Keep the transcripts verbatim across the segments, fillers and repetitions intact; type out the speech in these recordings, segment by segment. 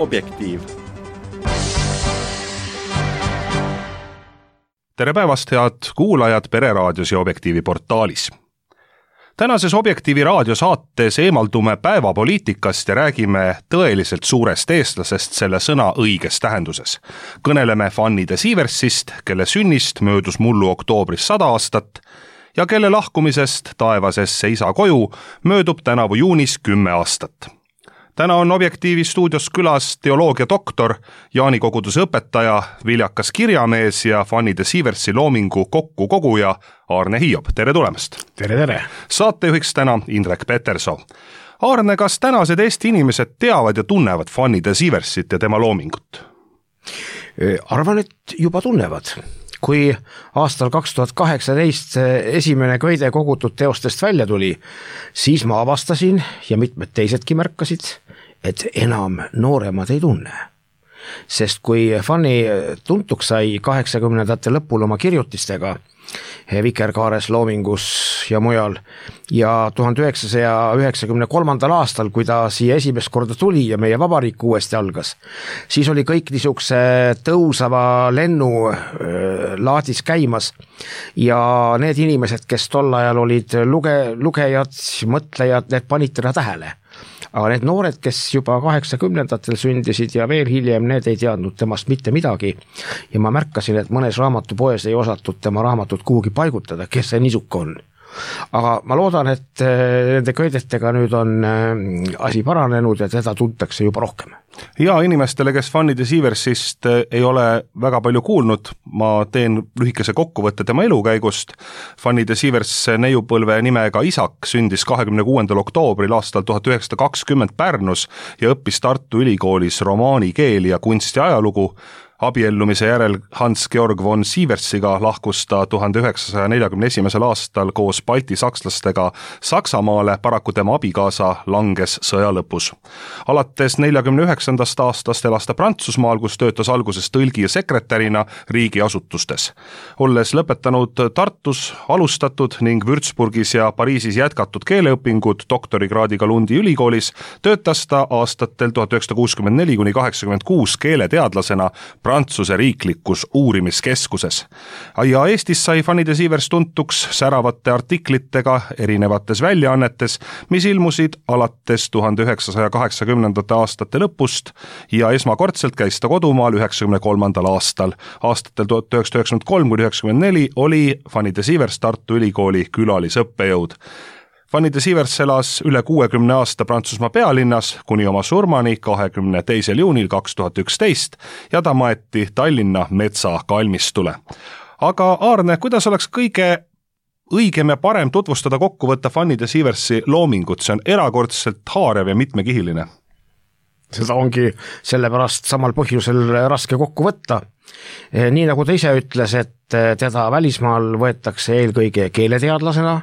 Objektiiv. Tere päevast, head kuulajad Pereraadios ja Objektiivi portaalis. Tänases Objektiivi raadiosaates eemaldume päevapoliitikast ja räägime tõeliselt suurest eestlasest selle sõna õiges tähenduses. Kõneleme Fanny de Sieversist, kelle sünnist möödus mullu oktoobris sada aastat ja kelle lahkumisest taevasesse isa koju möödub tänavu juunis kümme aastat. Täna on Objektiivi stuudios külas teoloogia doktor, Jaani koguduse õpetaja, viljakas kirjamees ja Fanny de Sieversi loomingu kokkukoguja Aarne Hiob. Tere tulemast! Tere, tere! Saatejuhiks täna Indrek Petersoo. Aarne, kas tänased Eesti inimesed teavad ja tunnevad Fanny de Sieversit ja tema loomingut? Arvan, et juba tunnevad. Kui aastal kaks tuhat kaheksateist esimene köide kogutud teostest välja tuli, siis ma avastasin ja mitmed teisedki märkasid, et enam nooremad ei tunne. Sest kui Fanny tuntuks sai kaheksakümnendate lõpul oma kirjutistega Vikerkaares loomingus ja mujal ja tuhande üheksasaja üheksakümne kolmandal aastal, kui ta siia esimest korda tuli ja meie vabariik uuesti algas, siis oli kõik niisuguse tõusava lennu laadis käimas ja need inimesed, kes tol ajal olid luge, lugejad, mõtlejad, need panid teda tähele. Aga need noored, kes juba kaheksakümnendatel sündisid ja veel hiljem, need ei teadnud temast mitte midagi. Ja ma märkasin, et mõnes raamatupoes ei osatud tema raamatut kuhugi paigutada, kes see niisuk on. Aga ma loodan, et nende köidetega nüüd on asi paranenud ja teda tuntakse juba rohkem. Ja inimestele, kes Fanny de Sieversist ei ole väga palju kuulnud, ma teen lühikese kokkuvõtte tema elukäigust. Fanny de Sievers neiupõlve nimega Isak sündis kahekümne kuuendal oktoobril aastal tuhat üheksasada kakskümmend Pärnus ja õppis Tartu Ülikoolis romaani keeli ja kunsti ajalugu. Abiellumise järel Hans-Georg von Sieversiga lahkus ta tuhande üheksasaja neljakümne esimesel aastal koos Balti sakslastega Saksamaale, paraku tema abikaasa langes sõja lõpus. Alates neljakümne üheksandast aastast elas ta Prantsusmaal, kus töötas alguses tõlgi ja sekretärina riigiasutustes. Olles lõpetanud Tartus alustatud ning Würzburgis ja Pariisis jätkatud keeleõpingud doktorikraadiga Lundi ülikoolis, töötas ta aastatel tuhat üheksasada kuuskümmend neli kuni kaheksakümmend kuus keeleteadlasena Prantsuse riiklikus uurimiskeskuses. Ja Eestis sai Fanny de Sievers tuntuks säravate artiklitega erinevates väljaannetes, mis ilmusid alates tuhande üheksasaja kaheksakümnendate aastate lõpust ja esmakordselt käis ta kodumaal üheksakümne kolmandal aastal. Aastatel tuhat üheksasada üheksakümmend kolm kuni üheksakümmend neli oli Fanny de Sievers Tartu Ülikooli külalisõppejõud. Fanny de Sievers elas üle kuuekümne aasta Prantsusmaa pealinnas kuni oma surmani kahekümne teisel juunil kaks tuhat üksteist ja ta maeti Tallinna Metsa kalmistule. Aga Aarne, kuidas oleks kõige õigem ja parem tutvustada kokku võtta Fanny de Sieversi loomingut? See on erakordselt haarev ja mitmekihiline. Seda ongi sellepärast samal põhjusel raske kokku võtta. Nii nagu ta ise ütles, et teda välismaal võetakse eelkõige keeleteadlasena,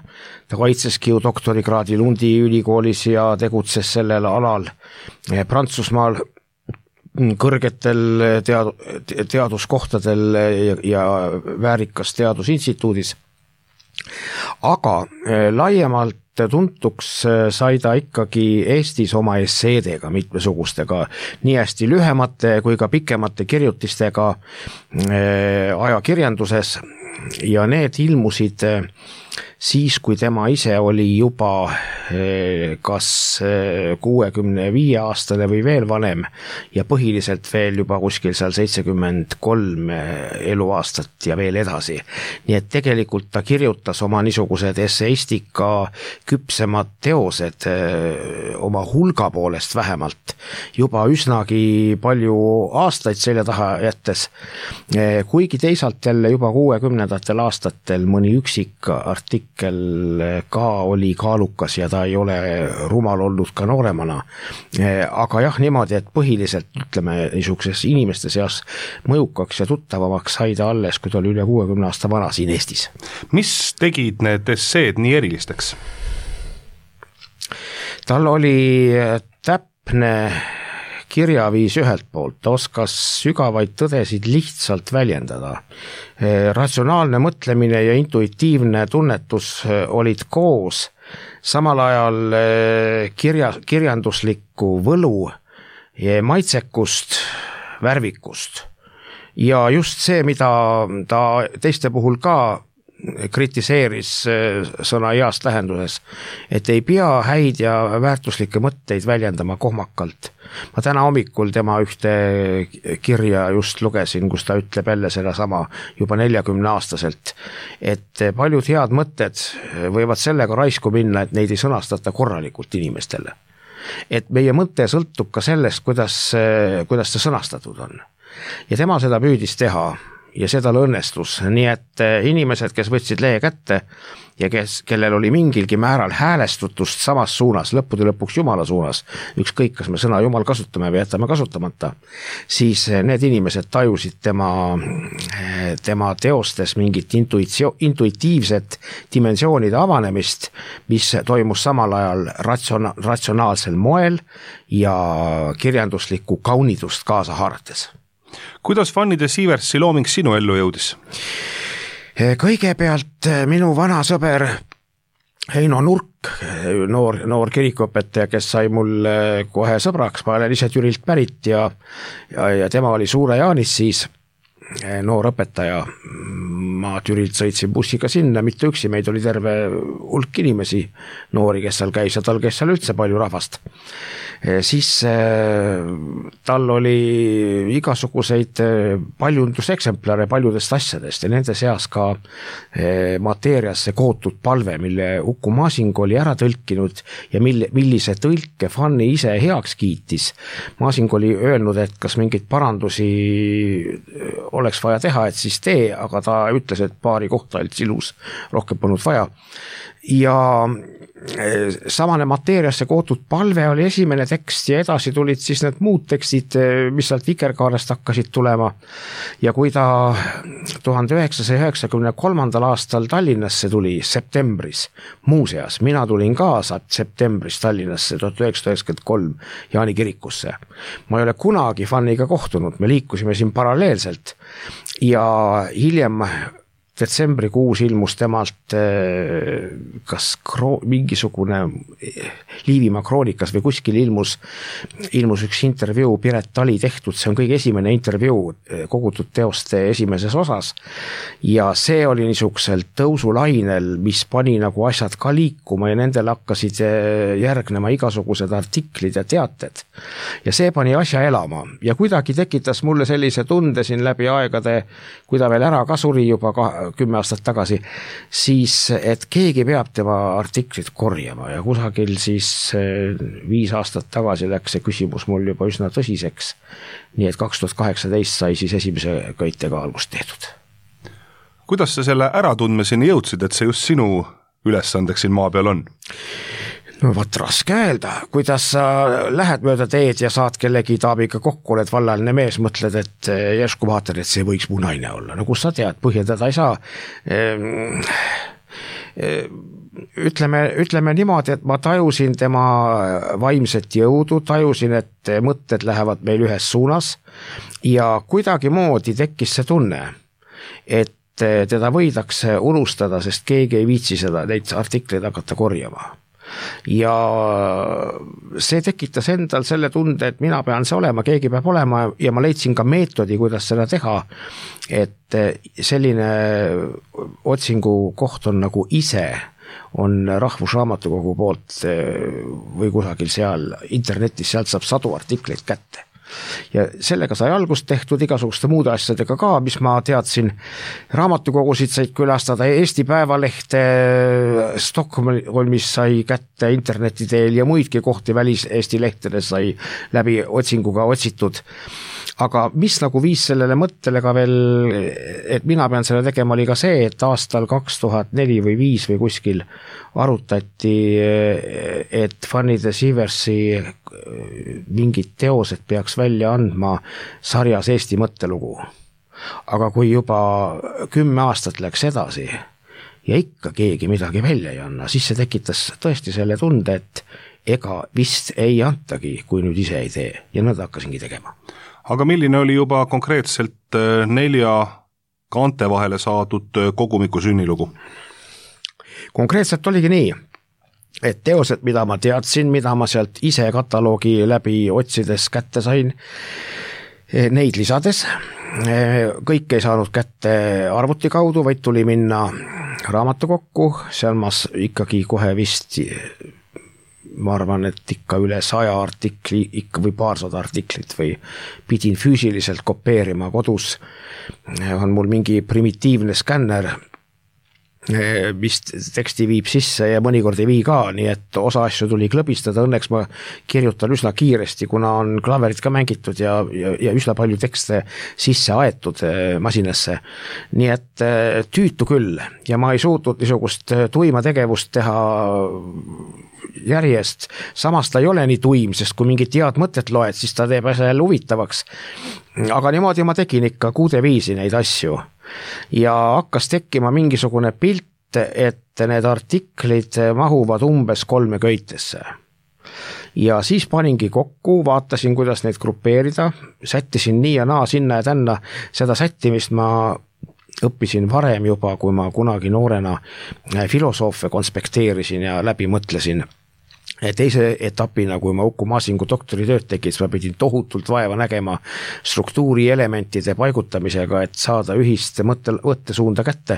ta kaitseski ju doktorikraadi Lundi ülikoolis ja tegutses sellel alal Prantsusmaal kõrgetel tead- teaduskohtadel ja, ja väärikas teadusinstituudis. Aga laiemalt tuntuks sai ta ikkagi Eestis oma esseedega mitmesugustega, nii hästi lühemate kui ka pikemate kirjutistega ajakirjanduses ja need ilmusid siis, kui tema ise oli juba kas kuuekümne viie aastane või veel vanem ja põhiliselt veel juba kuskil seal seitsekümmend kolm eluaastat ja veel edasi. Nii et tegelikult ta kirjutas oma niisugused esseistika küpsemad teosed oma hulga poolest vähemalt juba üsnagi palju aastaid selja taha jättes, kuigi teisalt jälle juba kuuekümnendatel aastatel mõni üksik artikkel ka oli kaalukas ja ta ei ole rumal olnud ka nooremana. Aga jah, niimoodi, et põhiliselt ütleme niisuguses inimeste seas mõjukaks ja tuttavamaks sai ta alles, kui ta oli üle kuuekümne aasta vana siin Eestis. Mis tegid need esseed nii erilisteks? Tal oli täpne kirjaviis ühelt poolt, ta oskas sügavaid tõdesid lihtsalt väljendada. Ratsionaalne mõtlemine ja intuitiivne tunnetus olid koos, samal ajal kirja, kirjanduslikku võlu maitsekust, värvikust ja just see, mida ta teiste puhul ka kritiseeris sõna heast lähenduses, et ei pea häid ja väärtuslikke mõtteid väljendama kohmakalt. Ma täna hommikul tema ühte kirja just lugesin, kus ta ütleb jälle sedasama juba neljakümne aastaselt, et paljud head mõtted võivad sellega raisku minna, et neid ei sõnastata korralikult inimestele. Et meie mõte sõltub ka sellest, kuidas, kuidas ta sõnastatud on. Ja tema seda püüdis teha ja seda õnnestus, nii et inimesed, kes võtsid lehe kätte ja kes, kellel oli mingilgi määral häälestutust samas suunas, lõppude lõpuks Jumala suunas, ükskõik, kas me sõna Jumal kasutame või jätame kasutamata, siis need inimesed tajusid tema, tema teostes mingit intuitsio, intuitiivset dimensioonide avanemist, mis toimus samal ajal ratsiona, ratsionaalsel moel ja kirjanduslikku kaunidust kaasa haarates. Kuidas Fanny de Sieversi looming sinu ellu jõudis? Kõigepealt minu vana sõber Heino Nurk, noor, noor kirikuõpetaja, kes sai mul kohe sõbraks, ma olen ise Türilt pärit ja, ja, ja tema oli Suure Jaanis siis noor õpetaja. Ma Türilt sõitsin bussiga sinna, mitte üksi, meid oli terve hulk inimesi, noori, kes seal käis ja tal käis seal üldse palju rahvast. Siis tal oli igasuguseid paljunduseksemplare paljudest asjadest ja nende seas ka mateeriasse kootud palve, mille Uku Masing oli ära tõlkinud ja mille, millise tõlke Fanny ise heaks kiitis. Masing oli öelnud, et kas mingeid parandusi oleks vaja teha, et siis tee, aga ta ütles, et paari kohta olid ilus, rohkem polnud vaja. Ja samane mateeriasse kootud palve oli esimene tekst ja edasi tulid siis need muud tekstid, mis sealt Vikerkaarest hakkasid tulema. Ja kui ta tuhande üheksasaja üheksakümne kolmandal aastal Tallinnasse tuli septembris, muuseas, mina tulin ka septembris Tallinnasse tuhat üheksasada üheksakümmend kolm Jaani kirikusse. Ma ei ole kunagi Fanniga kohtunud, me liikusime siin paralleelselt ja hiljem detsembrikuus ilmus temalt kas kro- mingisugune Liivimaa kroonikas või kuskil ilmus, ilmus üks intervjuu Piret Tali tehtud, see on kõige esimene intervjuu kogutud teoste esimeses osas ja see oli niisugusel tõusulainel, mis pani nagu asjad ka liikuma ja nendel hakkasid järgnema igasugused artiklid ja teated ja see pani asja elama ja kuidagi tekitas mulle sellise tunde siin läbi aegade, kui ta veel ära ka suri juba ka kümme aastat tagasi, siis et keegi peab tema artiklit korjama ja kusagil siis viis aastat tagasi läks see küsimus mul juba üsna tõsiseks. Nii et kaks tuhat kaheksateist sai siis esimese köitega algust tehtud. Kuidas sa selle äratundmiseni jõudsid, et see just sinu ülesandeks siin maa peal on? No võt raske öelda, kuidas sa lähed mööda teed ja saad kellegi taabiga kokku, oled vallaline mees, mõtled, et järsku vaatad, et see võiks mu naine olla. No kus sa tead, põhjendada ei saa. Ütleme, ütleme niimoodi, et ma tajusin tema vaimset jõudu, tajusin, et mõtted lähevad meil ühes suunas ja kuidagi moodi tekkis see tunne, et teda võidakse unustada, sest keegi ei viitsi seda, neid artikleid hakata korjama. Ja see tekitas endal selle tunde, et mina pean see olema, keegi peab olema ja ma leidsin ka meetodi, kuidas seda teha, et selline otsingu koht on nagu ise on Rahvusraamatukogu poolt või kusagil seal internetis, sealt saab sadu artikleid kätte. Ja sellega sai algust tehtud igasuguste muude asjadega ka, mis ma teadsin. Raamatukogusid said külastada, Eesti Päevalehte Stockholmis sai kätte interneti teel ja muidki kohti välis Eesti lehtedes sai läbi otsinguga otsitud. Aga mis nagu viis sellele mõttele ka veel, et mina pean selle tegema, oli ka see, et aastal kaks tuhat neli või viis või kuskil arutati, et Fanny de Sieversi mingid teosed peaks välja andma sarjas Eesti mõttelugu. Aga kui juba kümme aastat läks edasi ja ikka keegi midagi välja ei anna, siis see tekitas tõesti selle tunde, et ega vist ei antagi, kui nüüd ise ei tee ja nõnda hakkasingi tegema. Aga milline oli juba konkreetselt nelja kaante vahele saadud kogumiku sünnilugu? Konkreetselt oligi nii, et teosed, mida ma teadsin, mida ma sealt ise kataloogi läbi otsides kätte sain, neid lisades, kõik ei saanud kätte arvuti kaudu, vaid tuli minna raamatukokku, seal ma ikkagi kohe vist, ma arvan, et ikka üle saja artikli, ikka või paarsada artiklit või pidin füüsiliselt kopeerima kodus, on mul mingi primitiivne skänner, mis teksti viib sisse ja mõnikord ei vii ka, nii et osa asju tuli klõbistada, õnneks ma kirjutan üsna kiiresti, kuna on klaverit ka mängitud ja, ja, ja üsna palju tekste sisse aetud masinasse. Nii et tüütu küll ja ma ei suutnud niisugust tuima tegevust teha järjest, samas ta ei ole nii tuim, sest kui mingit head mõtet loed, siis ta teeb asja jälle huvitavaks. Aga niimoodi ma tegin ikka kuude viisi neid asju. Ja hakkas tekkima mingisugune pilt, et need artiklid mahuvad umbes kolme köitesse. Ja siis paningi kokku, vaatasin, kuidas neid grupeerida, sättisin nii ja naa, sinna ja tänna, seda sättimist ma õppisin varem juba, kui ma kunagi noorena filosoofe konspekteerisin ja läbi mõtlesin. Teise etapina, kui ma Uku Masingu doktoritööd tegin, siis ma pidin tohutult vaeva nägema struktuuri elementide paigutamisega, et saada ühist mõtte, võttesuunda kätte.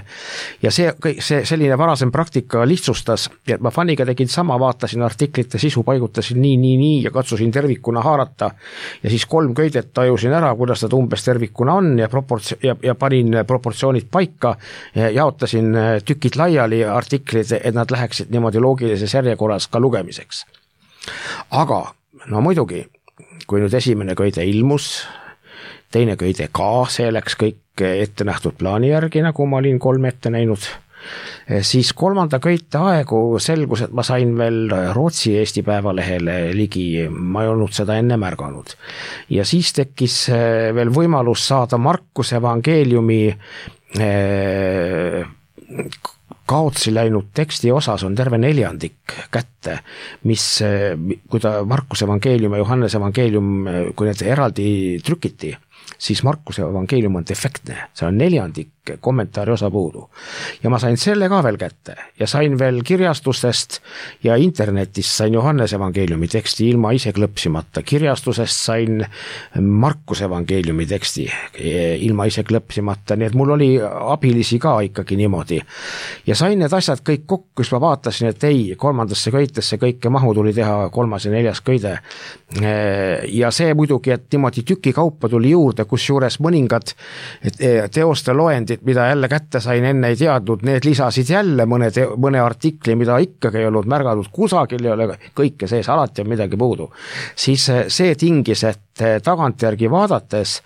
Ja see, see selline varasem praktika lihtsustas, et ma faniga tegin sama, vaatasin artiklite sisu, paigutasin nii, nii, nii ja katsusin tervikuna haarata. Ja siis kolm köidet tajusin ära, kuidas nad umbes tervikuna on ja, proports- ja, ja panin proportsioonid paika, jaotasin tükid laiali artiklid, et nad läheksid niimoodi loogilises järjekorras ka lugemiseks. Aga no muidugi, kui nüüd esimene köide ilmus, teine köide ka, see läks kõik ette nähtud plaani järgi, nagu ma olin kolm ette näinud, siis kolmanda köite aegu selgus, et ma sain veel Rootsi Eesti Päevalehele ligi, ma ei olnud seda enne märganud. Ja siis tekkis veel võimalus saada Markuse evangeeliumi kaotsi läinud teksti osas on terve neljandik kätte, mis, kui ta Markuse evangeelium ja Johannes evangeelium, kui need eraldi trükiti, siis Markuse evangeelium on defektne, see on neljandik kommentaari osa puudu. Ja ma sain selle ka veel kätte ja sain veel kirjastustest ja internetist sain Johannes evangeeliumi teksti ilma ise klõpsimata. Kirjastusest sain Markuse evangeeliumi teksti ilma ise klõpsimata, nii et mul oli abilisi ka ikkagi niimoodi. Ja sain need asjad kõik kokku, kus ma vaatasin, et ei, kolmandasse köitesse kõike mahu tuli teha kolmas ja neljas köide. Ja see muidugi, et niimoodi tüki kaupa tuli juurde, kus juures mõningad teoste loendid, mida jälle kätte sain, enne ei teadnud, need lisasid jälle mõne, te, mõne artikli, mida ikkagi ei olnud märganud, kusagil ei ole kõike sees, alati on midagi puudu. Siis see tingis, et tagantjärgi vaadates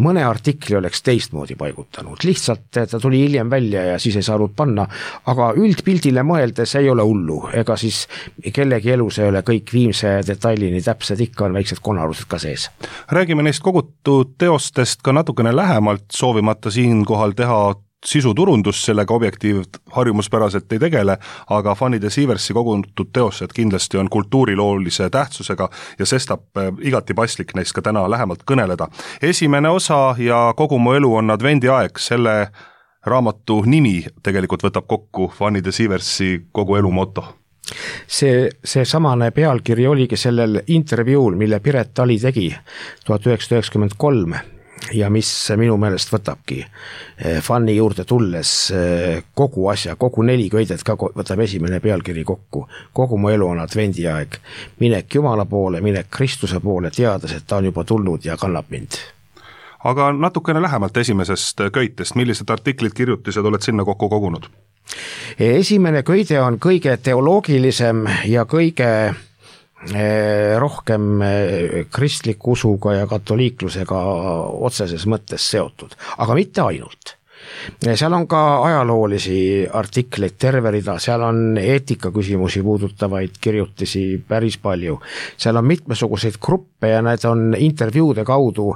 mõne artikli oleks teistmoodi paigutanud. Lihtsalt ta tuli hiljem välja ja siis ei saanud panna, aga üldpildile mõeldes ei ole hullu, ega siis kellegi elus ei ole kõik viimse detailini täpsed, ikka on väiksed konarused ka sees. Räägime neist kogutud teostest ka natukene lähemalt, soovimata siinkohal teha sisuturundus, sellega objektiiv harjumuspäraselt ei tegele, aga Fanny de Sieversi kogutud teosed kindlasti on kultuuriloolise tähtsusega ja sestap igati paslik neist ka täna lähemalt kõneleda. Esimene osa ja Kogu mu elu on advendiaeg, selle raamatu nimi tegelikult võtab kokku Fanny de Sieversi kogu elu moto. See, see samane pealkiri oligi sellel intervjuul, mille Piret Tali tegi tuhat üheksasada üheksakümmend kolm ja mis minu meelest võtabki Fanny juurde tulles kogu asja, kogu neli köidet ka võtab esimene pealkiri kokku. Kogu mu elu on advendiaeg, minek Jumala poole, minek Kristuse poole, teades, et ta on juba tulnud ja kannab mind. Aga natukene lähemalt esimesest köitest, millised artiklid, kirjutised oled sinna kokku kogunud? Esimene köide on kõige teoloogilisem ja kõige rohkem kristliku usuga ja katoliiklusega otseses mõttes seotud, aga mitte ainult. Seal on ka ajaloolisi artikleid terve rida, seal on eetikaküsimusi puudutavaid kirjutisi päris palju. Seal on mitmesuguseid gruppe ja need on intervjuude kaudu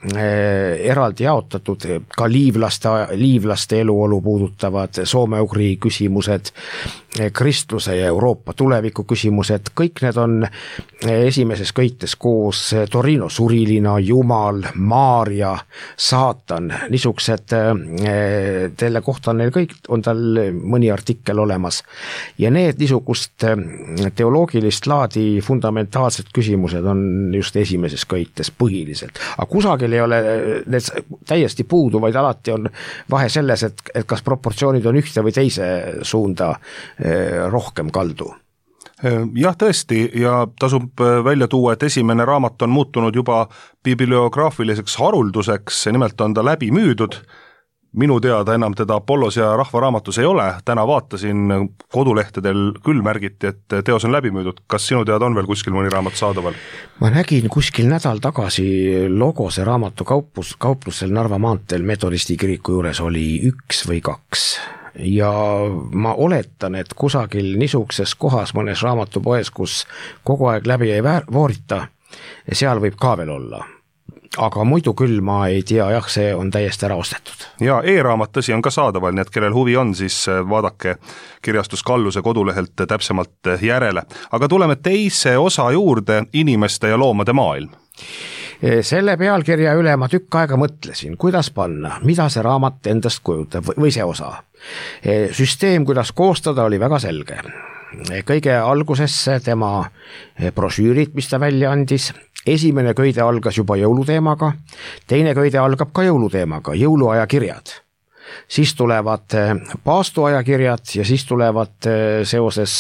eraldi jaotatud, ka liivlaste, liivlaste eluolu puudutavad soome-ugri küsimused, kristluse ja Euroopa tuleviku küsimused, kõik need on esimeses köites koos: Torino surilina, Jumal, Maarja, Saatan, niisugused, selle kohta on neil kõik, on tal mõni artikkel olemas. Ja need niisugust teoloogilist laadi fundamentaalsed küsimused on just esimeses köites põhiliselt. Aga kusagil ei ole need täiesti puudu, vaid alati on vahe selles, et, et kas proportsioonid on ühte või teise suunda rohkem kaldu. Jah, tõesti, ja tasub välja tuua, et esimene raamat on muutunud juba bibliograafiliseks harulduseks, nimelt on ta läbi müüdud. Minu teada enam teda Apollos ja Rahvaraamatus ei ole, täna vaatasin kodulehtedel küll märgiti, et teos on läbi müüdud. Kas sinu teada on veel kuskil mõni raamat saadaval? Ma nägin kuskil nädal tagasi Logose raamatu kauplus, kauplusel Narva maanteel Metodisti kiriku juures oli üks või kaks. Ja ma oletan, et kusagil niisuguses kohas mõnes raamatupoes, kus kogu aeg läbi ei voorita, seal võib ka veel olla. Aga muidu küll ma ei tea, jah, see on täiesti ära ostetud. Ja e-raamat tõsi on ka saadaval, nii et kellel huvi on, siis vaadake kirjastus Kalluse kodulehelt täpsemalt järele. Aga tuleme teise osa juurde, inimeste ja loomade maailm. Selle pealkirja üle ma tükk aega mõtlesin, kuidas panna, mida see raamat endast kujutab või see osa. Süsteem, kuidas koostada, oli väga selge. Kõige algusesse tema brošüürid, mis ta välja andis. Esimene köide algas juba jõuluteemaga, teine köide algab ka jõuluteemaga, jõuluaja kirjad. Siis tulevad paastuaja kirjad ja siis tulevad seoses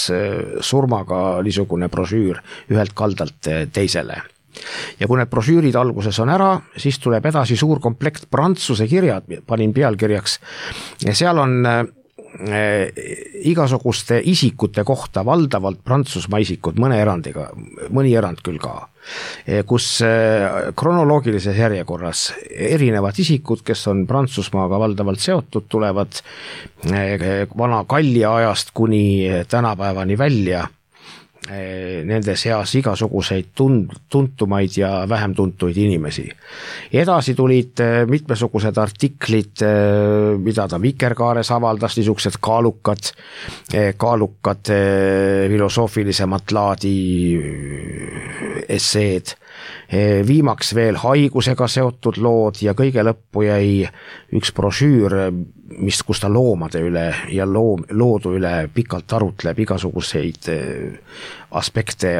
surmaga niisugune brošüür ühelt kaldalt teisele. Ja kui need brošüürid alguses on ära, siis tuleb edasi suur komplekt prantsuse kirjad, panin pealkirjaks. Ja seal on igasuguste isikute kohta, valdavalt Prantsusmaa isikud, mõne erandiga, mõni erand küll ka, kus kronoloogilises järjekorras erinevad isikud, kes on Prantsusmaaga valdavalt seotud, tulevad vana Kallia ajast kuni tänapäevani välja. Nende seas igasuguseid tuntumaid ja vähem tuntuid inimesi. Edasi tulid mitmesugused artiklid, mida ta Vikerkaares avaldas, niisugused kaalukad, kaalukad filosoofilisemat laadi esseed. Viimaks veel haigusega seotud lood ja kõige lõppu jäi üks brošüür, mis, kus ta loomade üle ja loom, loodu üle pikalt arutleb igasuguseid aspekte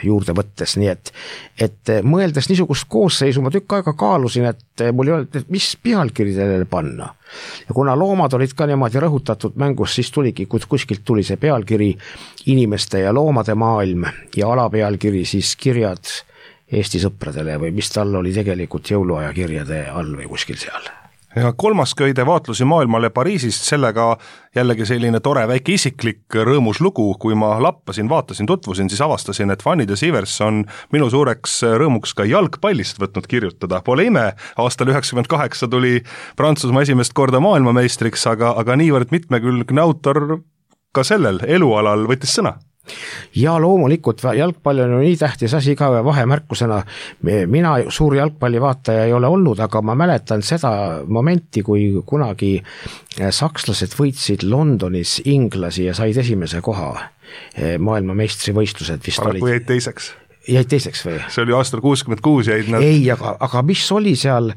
juurde võttes, nii et, et mõeldes niisugust koosseisu ma tükk aega kaalusin, et mul ei olnud, et mis pealkiri sellele panna. Ja kuna loomad olid ka niimoodi rõhutatud mängus, siis tuligi, kuskilt tuli see pealkiri inimeste ja loomade maailm ja alapealkiri siis kirjad Eesti sõpradele või mis tal oli tegelikult jõuluaja kirjade all või kuskil seal. Ja kolmas köide vaatlusi maailmale Pariisist, sellega jällegi selline tore väike isiklik rõõmus lugu, kui ma lappasin, vaatasin, tutvusin, siis avastasin, et Fanny de Sivers on minu suureks rõõmuks ka jalgpallist võtnud kirjutada. Pole ime, aastal üheksakümmend kaheksa tuli Prantsusmaa esimest korda maailmameistriks, aga, aga niivõrd mitmekülgne autor ka sellel elualal võttis sõna. Ja loomulikult jalgpall on nii tähtis asi ka vahemärkusena. Mina suur jalgpallivaataja ei ole olnud, aga ma mäletan seda momenti, kui kunagi sakslased võitsid Londonis inglasi ja said esimese koha maailmameistrivõistlused. Aga kui jäid teiseks? Jäid teiseks või? See oli aastal kuuskümmend kuus jäid nad... Ei, aga, aga mis oli seal,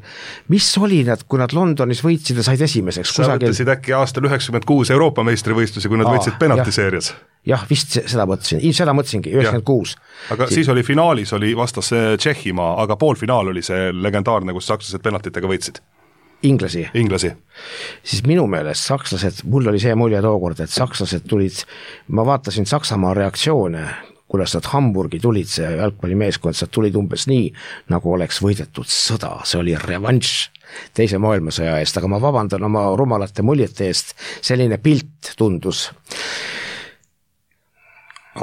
mis oli nad, kui nad Londonis võitsid ja said esimeseks? Sa kusagil... võttesid äkki aastal üheksakümmend kuus Euroopa meistrivõistlusi, kui nad Aa, võitsid penaltiseerias? Jah, vist seda mõtlesin, seda mõtlesingi, üheksakümmend kuus. Aga siis... siis oli finaalis oli vastas Tšehhimaa, aga poolfinaal oli see legendaarne, kus sakslased penaltitega võitsid. Inglasi. Inglasi. Siis minu meelest sakslased, mul oli see mulje tookord, et sakslased tulid, ma vaatasin Saksamaa reaktsioone, kuidas nad Hamburgi tulid, see jalgpallimeeskond, nad tulid umbes nii, nagu oleks võidetud sõda, see oli revanš teise maailmasõja eest, aga ma vabandan oma rumalate muljete eest, selline pilt tundus.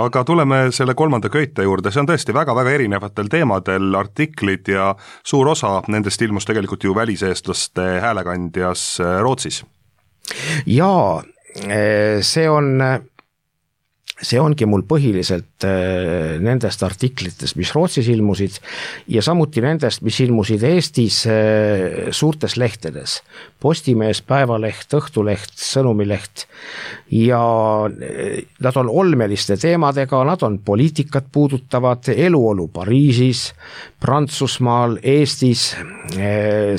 Aga tuleme selle kolmanda köite juurde, see on tõesti väga-väga erinevatel teemadel artiklid ja suur osa nendest ilmus tegelikult ju väliseestlaste häälekandjas Rootsis. Jaa, see on... see ongi mul põhiliselt nendest artiklitest, mis Rootsis ilmusid ja samuti nendest, mis ilmusid Eestis suurtes lehtedes. Postimees, Päevaleht, Õhtuleht, Sõnumileht ja nad on olmeliste teemadega, nad on poliitikat puudutavad, eluolu Pariisis, Prantsusmaal, Eestis,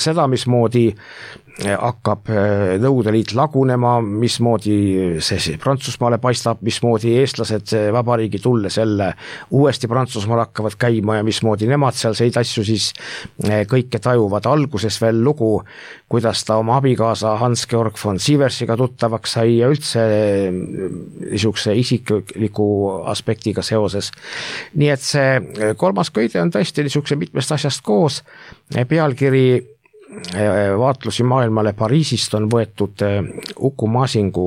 seda, mismoodi hakkab Nõukogude Liit lagunema, mismoodi see Prantsusmaale paistab, mismoodi eestlased vabariigi tulles jälle uuesti Prantsusmaal hakkavad käima ja mismoodi nemad sealseid asju siis kõike tajuvad. Alguses veel lugu, kuidas ta oma abikaasa Hans-Georg von Sieversiga tuttavaks sai ja üldse niisuguse isikliku aspektiga seoses. Nii et see kolmas köide on tõesti niisuguse mitmest asjast koos. Pealkiri vaatlusi maailmale Pariisist on võetud Uku Masingu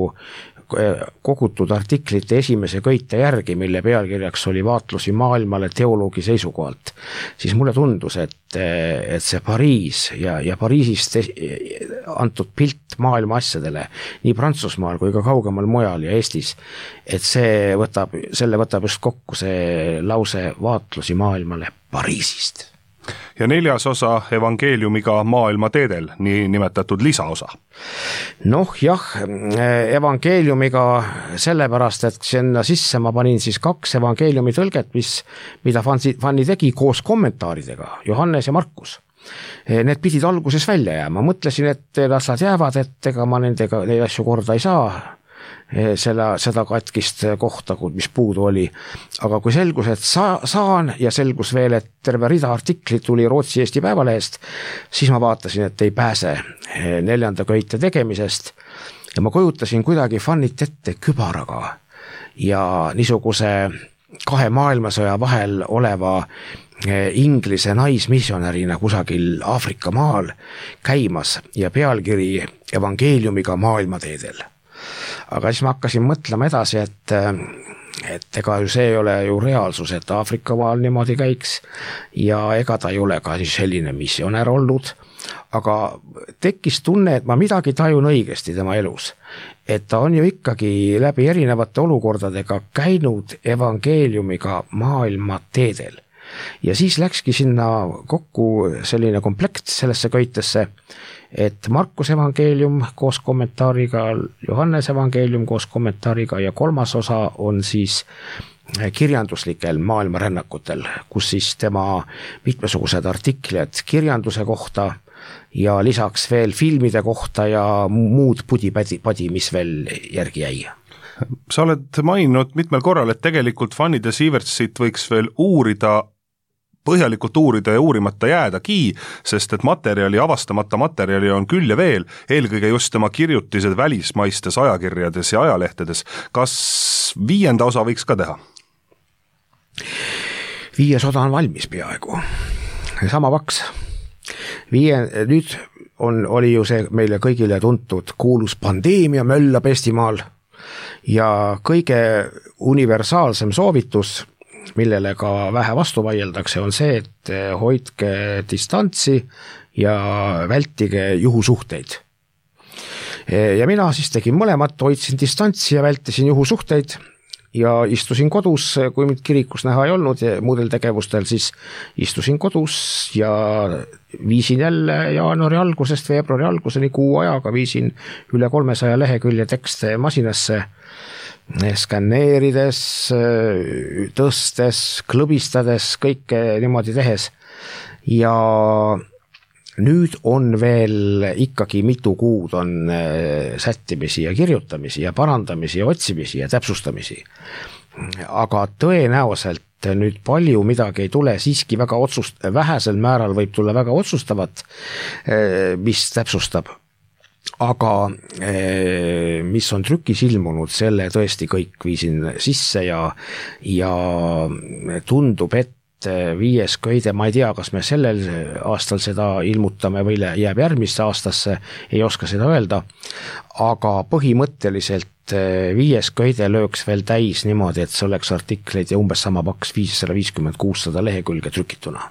kogutud artiklite esimese köite järgi, mille pealkirjaks oli vaatlusi maailmale teoloogi seisukohalt. Siis mulle tundus, et, et see Pariis ja, ja Pariisist antud pilt maailma asjadele nii Prantsusmaal kui ka kaugemal mujal ja Eestis, et see võtab, selle võtab just kokku see lause vaatlusi maailmale Pariisist. Ja neljas osa evangeeliumiga maailma teedel, nii nimetatud lisaosa. Noh jah, evangeeliumiga sellepärast, et sinna sisse ma panin siis kaks evangeeliumi tõlget, mis, mida Fanni tegi koos kommentaaridega, Johannes ja Markus. Need pidid alguses välja jääma, mõtlesin, et las nad jäävad, et ega ma nendega neid asju korda ei saa, Selle, seda katkist kohta, mis puudu oli. Aga kui selgus, et sa, saan ja selgus veel, et terve rida artiklit tuli Rootsi Eesti Päevalehest, siis ma vaatasin, et ei pääse neljanda köite tegemisest ja ma kujutasin kuidagi Fannit ette kübaraga ja niisuguse kahe maailmasõja vahel oleva Inglise naismissionärina kusagil Aafrika maal käimas ja pealkiri evangeeliumiga maailmateedel. Aga siis ma hakkasin mõtlema edasi, et, et ega ju see ei ole ju reaalsus, et Aafrika maal niimoodi käiks ja ega ta ei ole ka selline missionär olnud, aga tekkis tunne, et ma midagi tajun õigesti tema elus, et ta on ju ikkagi läbi erinevate olukordadega käinud evangeeliumiga maailma teedel. Ja siis läkski sinna kokku selline komplekt sellesse köitesse, et Markus evangeelium koos kommentaariga, Johannes evangeelium koos kommentaariga ja kolmas osa on siis kirjanduslikel maailmarännakutel, kus siis tema mitmesugused artiklid kirjanduse kohta ja lisaks veel filmide kohta ja muud pudi-padi, mis veel järgi jäi. Sa oled maininud mitmel korral, et tegelikult Fanny de Sievertsit võiks veel uurida põhjalikult uurida ja uurimata jäädagi, sest et materjali, avastamata materjali on küll ja veel, eelkõige just tema kirjutised välismaistes ajakirjades ja ajalehtedes. Kas viienda osa võiks ka teha? Viies osa on valmis peaaegu. Sama paks. Viie, nüüd on, oli ju see meile kõigile tuntud kuulus pandeemia möllab Eestimaal ja kõige universaalsem soovitus, millele ka vähe vastu vaieldakse, on see, et hoidke distantsi ja vältige juhusuhteid. Ja mina siis tegin mõlemat, hoidsin distantsi ja vältisin juhusuhteid ja istusin kodus, kui mind kirikus näha ei olnud ja muudel tegevustel, siis istusin kodus ja viisin jälle jaanuari algusest veebruari alguseni kuu ajaga, viisin üle kolmesaja lehekülje tekste masinasse, skanneerides, tõstes, klõbistades, kõike niimoodi tehes ja nüüd on veel ikkagi mitu kuud on sättimisi ja kirjutamisi ja parandamisi ja otsimisi ja täpsustamisi. Aga tõenäoliselt nüüd palju midagi ei tule, siiski väga otsust, vähesel määral võib tulla väga otsustavat, mis täpsustab. Aga mis on trükis ilmunud, selle tõesti kõik viisin sisse ja, ja tundub, et viies köide, ma ei tea, kas me sellel aastal seda ilmutame või jääb järgmisse aastasse, ei oska seda öelda, aga põhimõtteliselt viies köide lööks veel täis niimoodi, et see oleks artikleid ja umbes sama paks viissada viiskümmend kuussada lehekülge trükituna.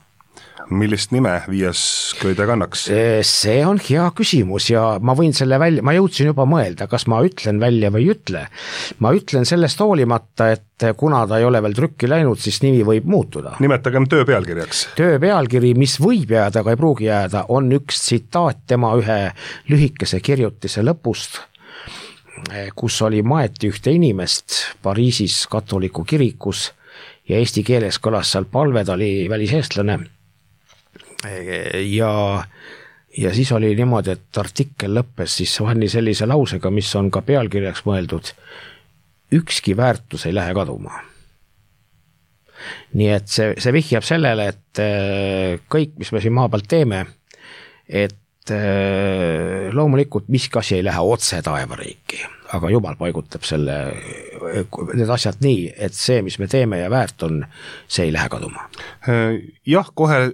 millist nime viies köide kannaks? See on hea küsimus ja ma võin selle välja, ma jõudsin juba mõelda, kas ma ütlen välja või ei ütle. Ma ütlen sellest hoolimata, et kuna ta ei ole veel trükki läinud, siis nimi võib muutuda. Nimetagem töö pealkirjaks. Töö pealkiri, mis võib jääda, aga ei pruugi jääda, on üks tsitaat tema ühe lühikese kirjutise lõpust, kus oli maeti ühte inimest Pariisis katoliku kirikus ja eesti keeles kõlas seal palve, ta oli väliseestlane ja, ja siis oli niimoodi, et artikkel lõppes siis Vanni sellise lausega, mis on ka pealkirjaks mõeldud, ükski väärtus ei lähe kaduma. Nii et see, see vihjab sellele, et kõik, mis me siin maa pealt teeme, et loomulikult miski asi ei lähe otse taevariiki, aga Jumal paigutab selle, need asjad nii, et see, mis me teeme ja väärt on, see ei lähe kaduma. Jah, kohe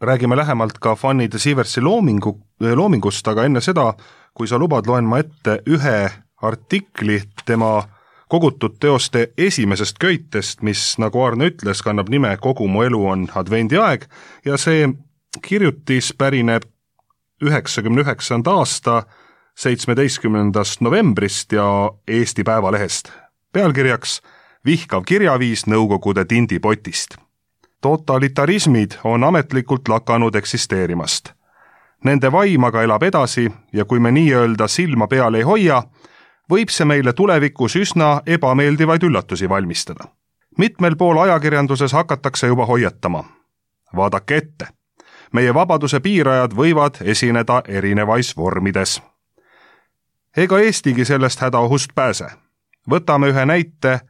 räägime lähemalt ka Fanny de Sieversi loomingu, loomingust, aga enne seda, kui sa lubad, loen ma ette ühe artikli tema kogutud teoste esimesest köitest, mis, nagu Arne ütles, kannab nime Kogu mu elu on advendi aeg ja see kirjutis pärineb üheksakümne üheksanda aasta seitsmeteistkümnendast novembrist ja Eesti Päevalehest. Pealkirjaks Vihkav kirjaviis Nõukogude tindipotist. Totalitarismid on ametlikult lakanud eksisteerimast. Nende vaim aga elab edasi ja kui me nii-öelda silma peal ei hoia, võib see meile tulevikus üsna ebameeldivaid üllatusi valmistada. Mitmel pool ajakirjanduses hakatakse juba hoiatama. Vaadake ette. Meie vabaduse piirajad võivad esineda erinevais vormides. Ega Eestigi sellest hädaohust pääse. Võtame ühe näite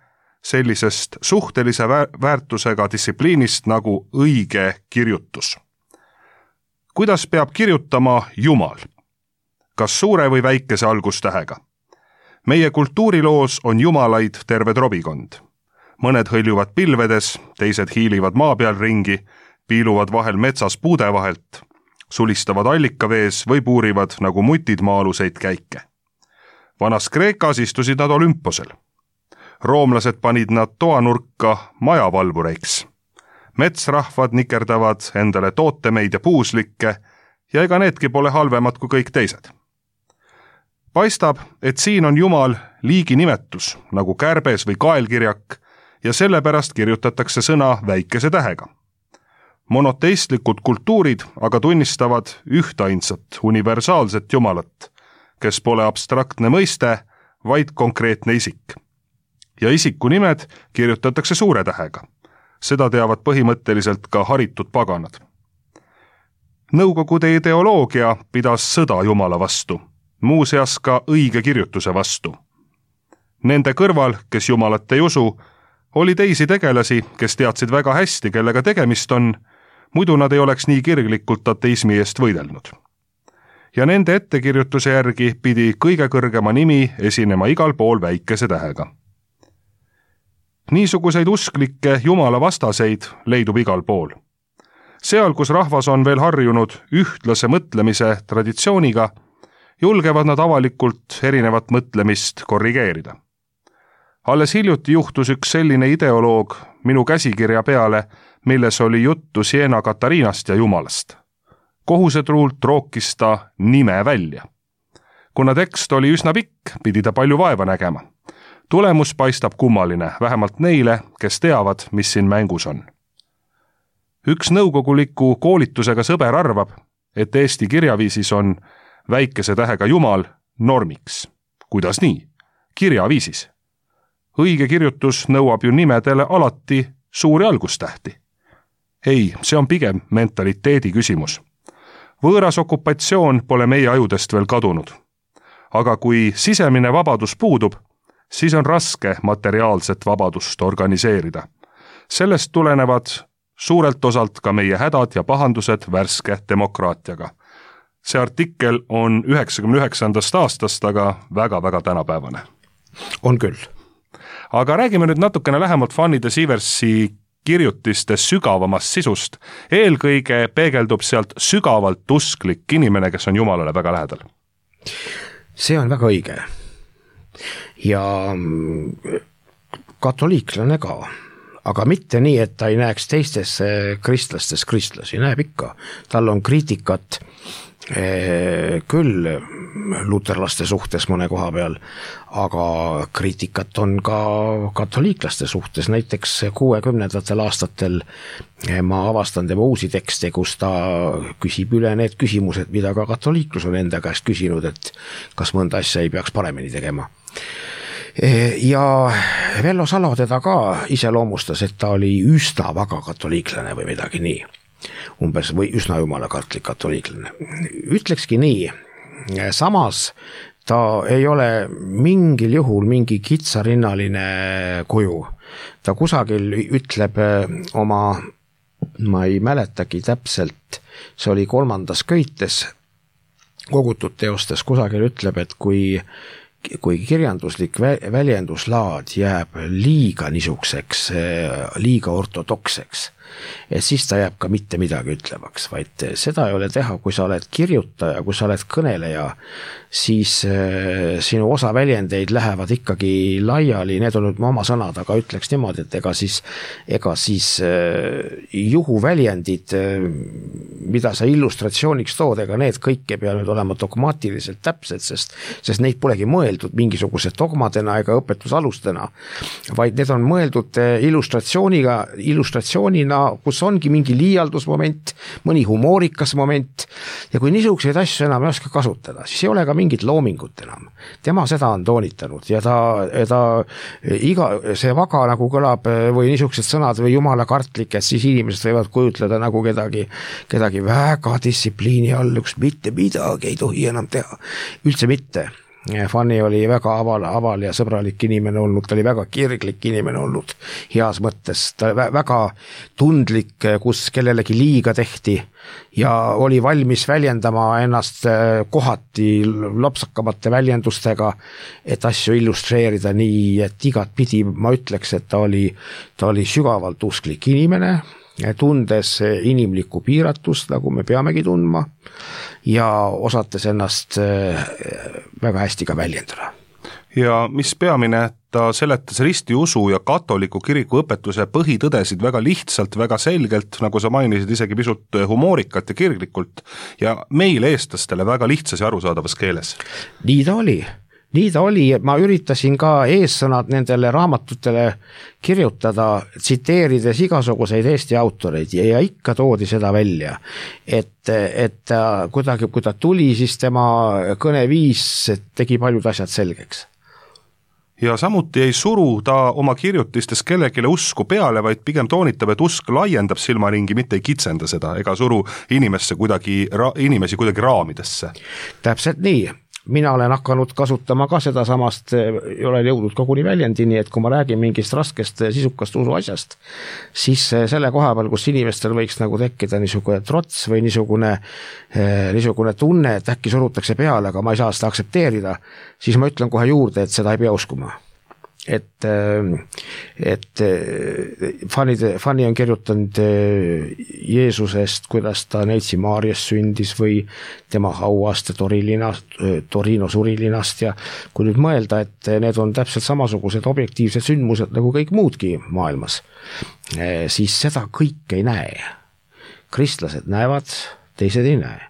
sellisest suhtelise väärtusega distsipliinist nagu õige kirjutus. Kuidas peab kirjutama Jumal? Kas suure või väikese algustähega? Meie kultuuriloos on jumalaid terve trobikond. Mõned hõljuvad pilvedes, teised hiilivad maa peal ringi, piiluvad vahel metsas puude vahelt, sulistavad allikavees või puurivad nagu mutid maaluseid käike. Vanas Kreekas istusid nad olümposel. Roomlased panid nad toanurka majavalvureiks. Metsrahvad nikerdavad endale tootemeid ja puuslikke ja ega needki pole halvemad kui kõik teised. Paistab, et siin on Jumal liigi nimetus, nagu kärbes või kaelkirjak, ja sellepärast kirjutatakse sõna väikese tähega. Monoteistlikud kultuurid aga tunnistavad ühtainsat universaalset Jumalat, kes pole abstraktne mõiste, vaid konkreetne isik. Ja isiku nimed kirjutatakse suure tähega. Seda teavad põhimõtteliselt ka haritud paganad. Nõukogude ideoloogia pidas sõda Jumala vastu, muuseas ka õige kirjutuse vastu. Nende kõrval, kes Jumalat ei usu, oli teisi tegelasi, kes teadsid väga hästi, kellega tegemist on, muidu nad ei oleks nii kirglikult ateismi eest võidelnud. Ja nende ettekirjutuse järgi pidi kõige kõrgema nimi esinema igal pool väikese tähega. Niisuguseid usklikke Jumala vastaseid leidub igal pool. Seal, kus rahvas on veel harjunud ühtlase mõtlemise traditsiooniga, julgevad nad avalikult erinevat mõtlemist korrigeerida. Alles hiljuti juhtus üks selline ideoloog minu käsikirja peale, milles oli juttu Siena Katariinast ja Jumalast. Kohusetruult rookis ta nime välja. Kuna tekst oli üsna pikk, pidi ta palju vaeva nägema. Tulemus paistab kummaline, vähemalt neile, kes teavad, mis siin mängus on. Üks nõukoguliku koolitusega sõber arvab, et Eesti kirjaviisis on väikese tähega Jumal normiks. Kuidas nii? Kirjaviisis. Õige kirjutus nõuab ju nimedele alati suuri algustähti. Ei, see on pigem mentaliteedi küsimus. Võõras okupatsioon pole meie ajudest veel kadunud. Aga kui sisemine vabadus puudub, siis on raske materiaalset vabadust organiseerida. Sellest tulenevad suurelt osalt ka meie hädad ja pahandused värske demokraatiaga. See artikkel on üheksakümne üheksandast aastast, aga väga-väga tänapäevane. On küll. Aga räägime nüüd natukene lähemalt Fanny de Sieversi kirjutiste sügavamast sisust. Eelkõige peegeldub sealt sügavalt usklik inimene, kes on Jumalale väga lähedal. See on väga õige. Ja katoliiklane ka. aga mitte nii, et ta ei näeks teistes kristlastes kristlasi, näeb ikka. Tal on kriitikat küll luterlaste suhtes mõne koha peal, aga kriitikat on ka katoliiklaste suhtes, näiteks kuuekümnendatel aastatel ma avastan tema uusi tekste, kus ta küsib üle need küsimused, mida ka katoliiklus on enda käest küsinud, et kas mõnda asja ei peaks paremini tegema. Ja Vello Salo teda ka iseloomustas, et ta oli üsna väga katoliiklane või midagi nii. Umbes või üsna jumalakartlik katoliiklane. Ütlekski nii, samas ta ei ole mingil juhul mingi kitsarinnaline kuju. Ta kusagil ütleb oma, ma ei mäletagi täpselt, see oli kolmandas köites kogutud teostes, kusagil ütleb, et kui kui kirjanduslik väljenduslaad jääb liiga nisukseks, liiga ortodokseks, et siis ta jääb ka mitte midagi ütlevaks, vaid seda ei ole teha, kui sa oled kirjutaja, kui sa oled kõneleja, siis sinu osa väljendeid lähevad ikkagi laiali, need on nüüd oma sõnad, aga ütleks niimoodi, et ega siis, ega siis juhuväljendid, mida sa illustratsiooniks tood, ega need kõik ei pea nüüd olema dogmaatiliselt täpsed, sest, sest neid polegi mõeldud mingisuguse dogmadena ega õpetusalustena, vaid need on mõeldud illustratsiooniga, illustratsioonina, kus ongi mingi liialdusmoment, mõni humoorikas moment ja kui niisuguseid asju enam ei oska kasutada, siis ei ole ka mingit loomingut enam. Tema seda on toonitanud ja ta, ta iga, see vaga nagu kõlab või niisugused sõnad või jumala kartlik, et siis inimesed võivad kujutleda nagu kedagi, kedagi väga distsipliini all, üks mitte midagi ei tohi enam teha. Üldse mitte. Fanny oli väga aval, aval ja sõbralik inimene olnud, ta oli väga kirglik inimene olnud heas mõttes, ta oli väga tundlik, kus kellelegi liiga tehti ja oli valmis väljendama ennast kohati lopsakamate väljendustega, et asju illustreerida nii, et igat pidi ma ütleks, et ta oli, ta oli sügavalt usklik inimene, tundes inimlikku piiratust, nagu me peamegi tundma, ja osates ennast väga hästi ka väljendada. Ja mis peamine, ta seletas ristiusu ja katoliku kiriku õpetuse põhitõdesid väga lihtsalt, väga selgelt, nagu sa mainisid, isegi pisut humoorikat ja kirglikult, ja meile eestlastele väga lihtsas ja arusaadavas keeles. Nii ta oli. Nii ta oli, ma üritasin ka eessõnad nendele raamatutele kirjutada, tsiteerides igasuguseid Eesti autoreid ja, ja ikka toodi seda välja, et, et kuidagi, kui ta tuli, siis tema kõneviis tegi paljud asjad selgeks. Ja samuti ei suru ta oma kirjutistes kellegile usku peale, vaid pigem toonitab, et usk laiendab silmaringi, mitte ei kitsenda seda, ega suru inimesse kuidagi, inimesi kuidagi raamidesse. Täpselt nii. Mina olen hakanud kasutama ka seda samast, ei ole jõudnud koguni väljendini, et kui ma räägin mingist raskest sisukast usu asjast, siis selle koha peal, kus inimestel võiks nagu tekkida niisugune trots või niisugune, niisugune tunne, et äkki surutakse peale, aga ma ei saa seda aksepteerida, siis ma ütlen kohe juurde, et seda ei pea uskuma. Et, et Fanny, Fanny on kirjutanud Jeesusest, kuidas ta Neitsi Maarias sündis või tema hauast Torilinast, Torino surilinast ja kui nüüd mõelda, et need on täpselt samasugused objektiivsed sündmused nagu kõik muudki maailmas, siis seda kõik ei näe. Kristlased näevad, teised ei näe.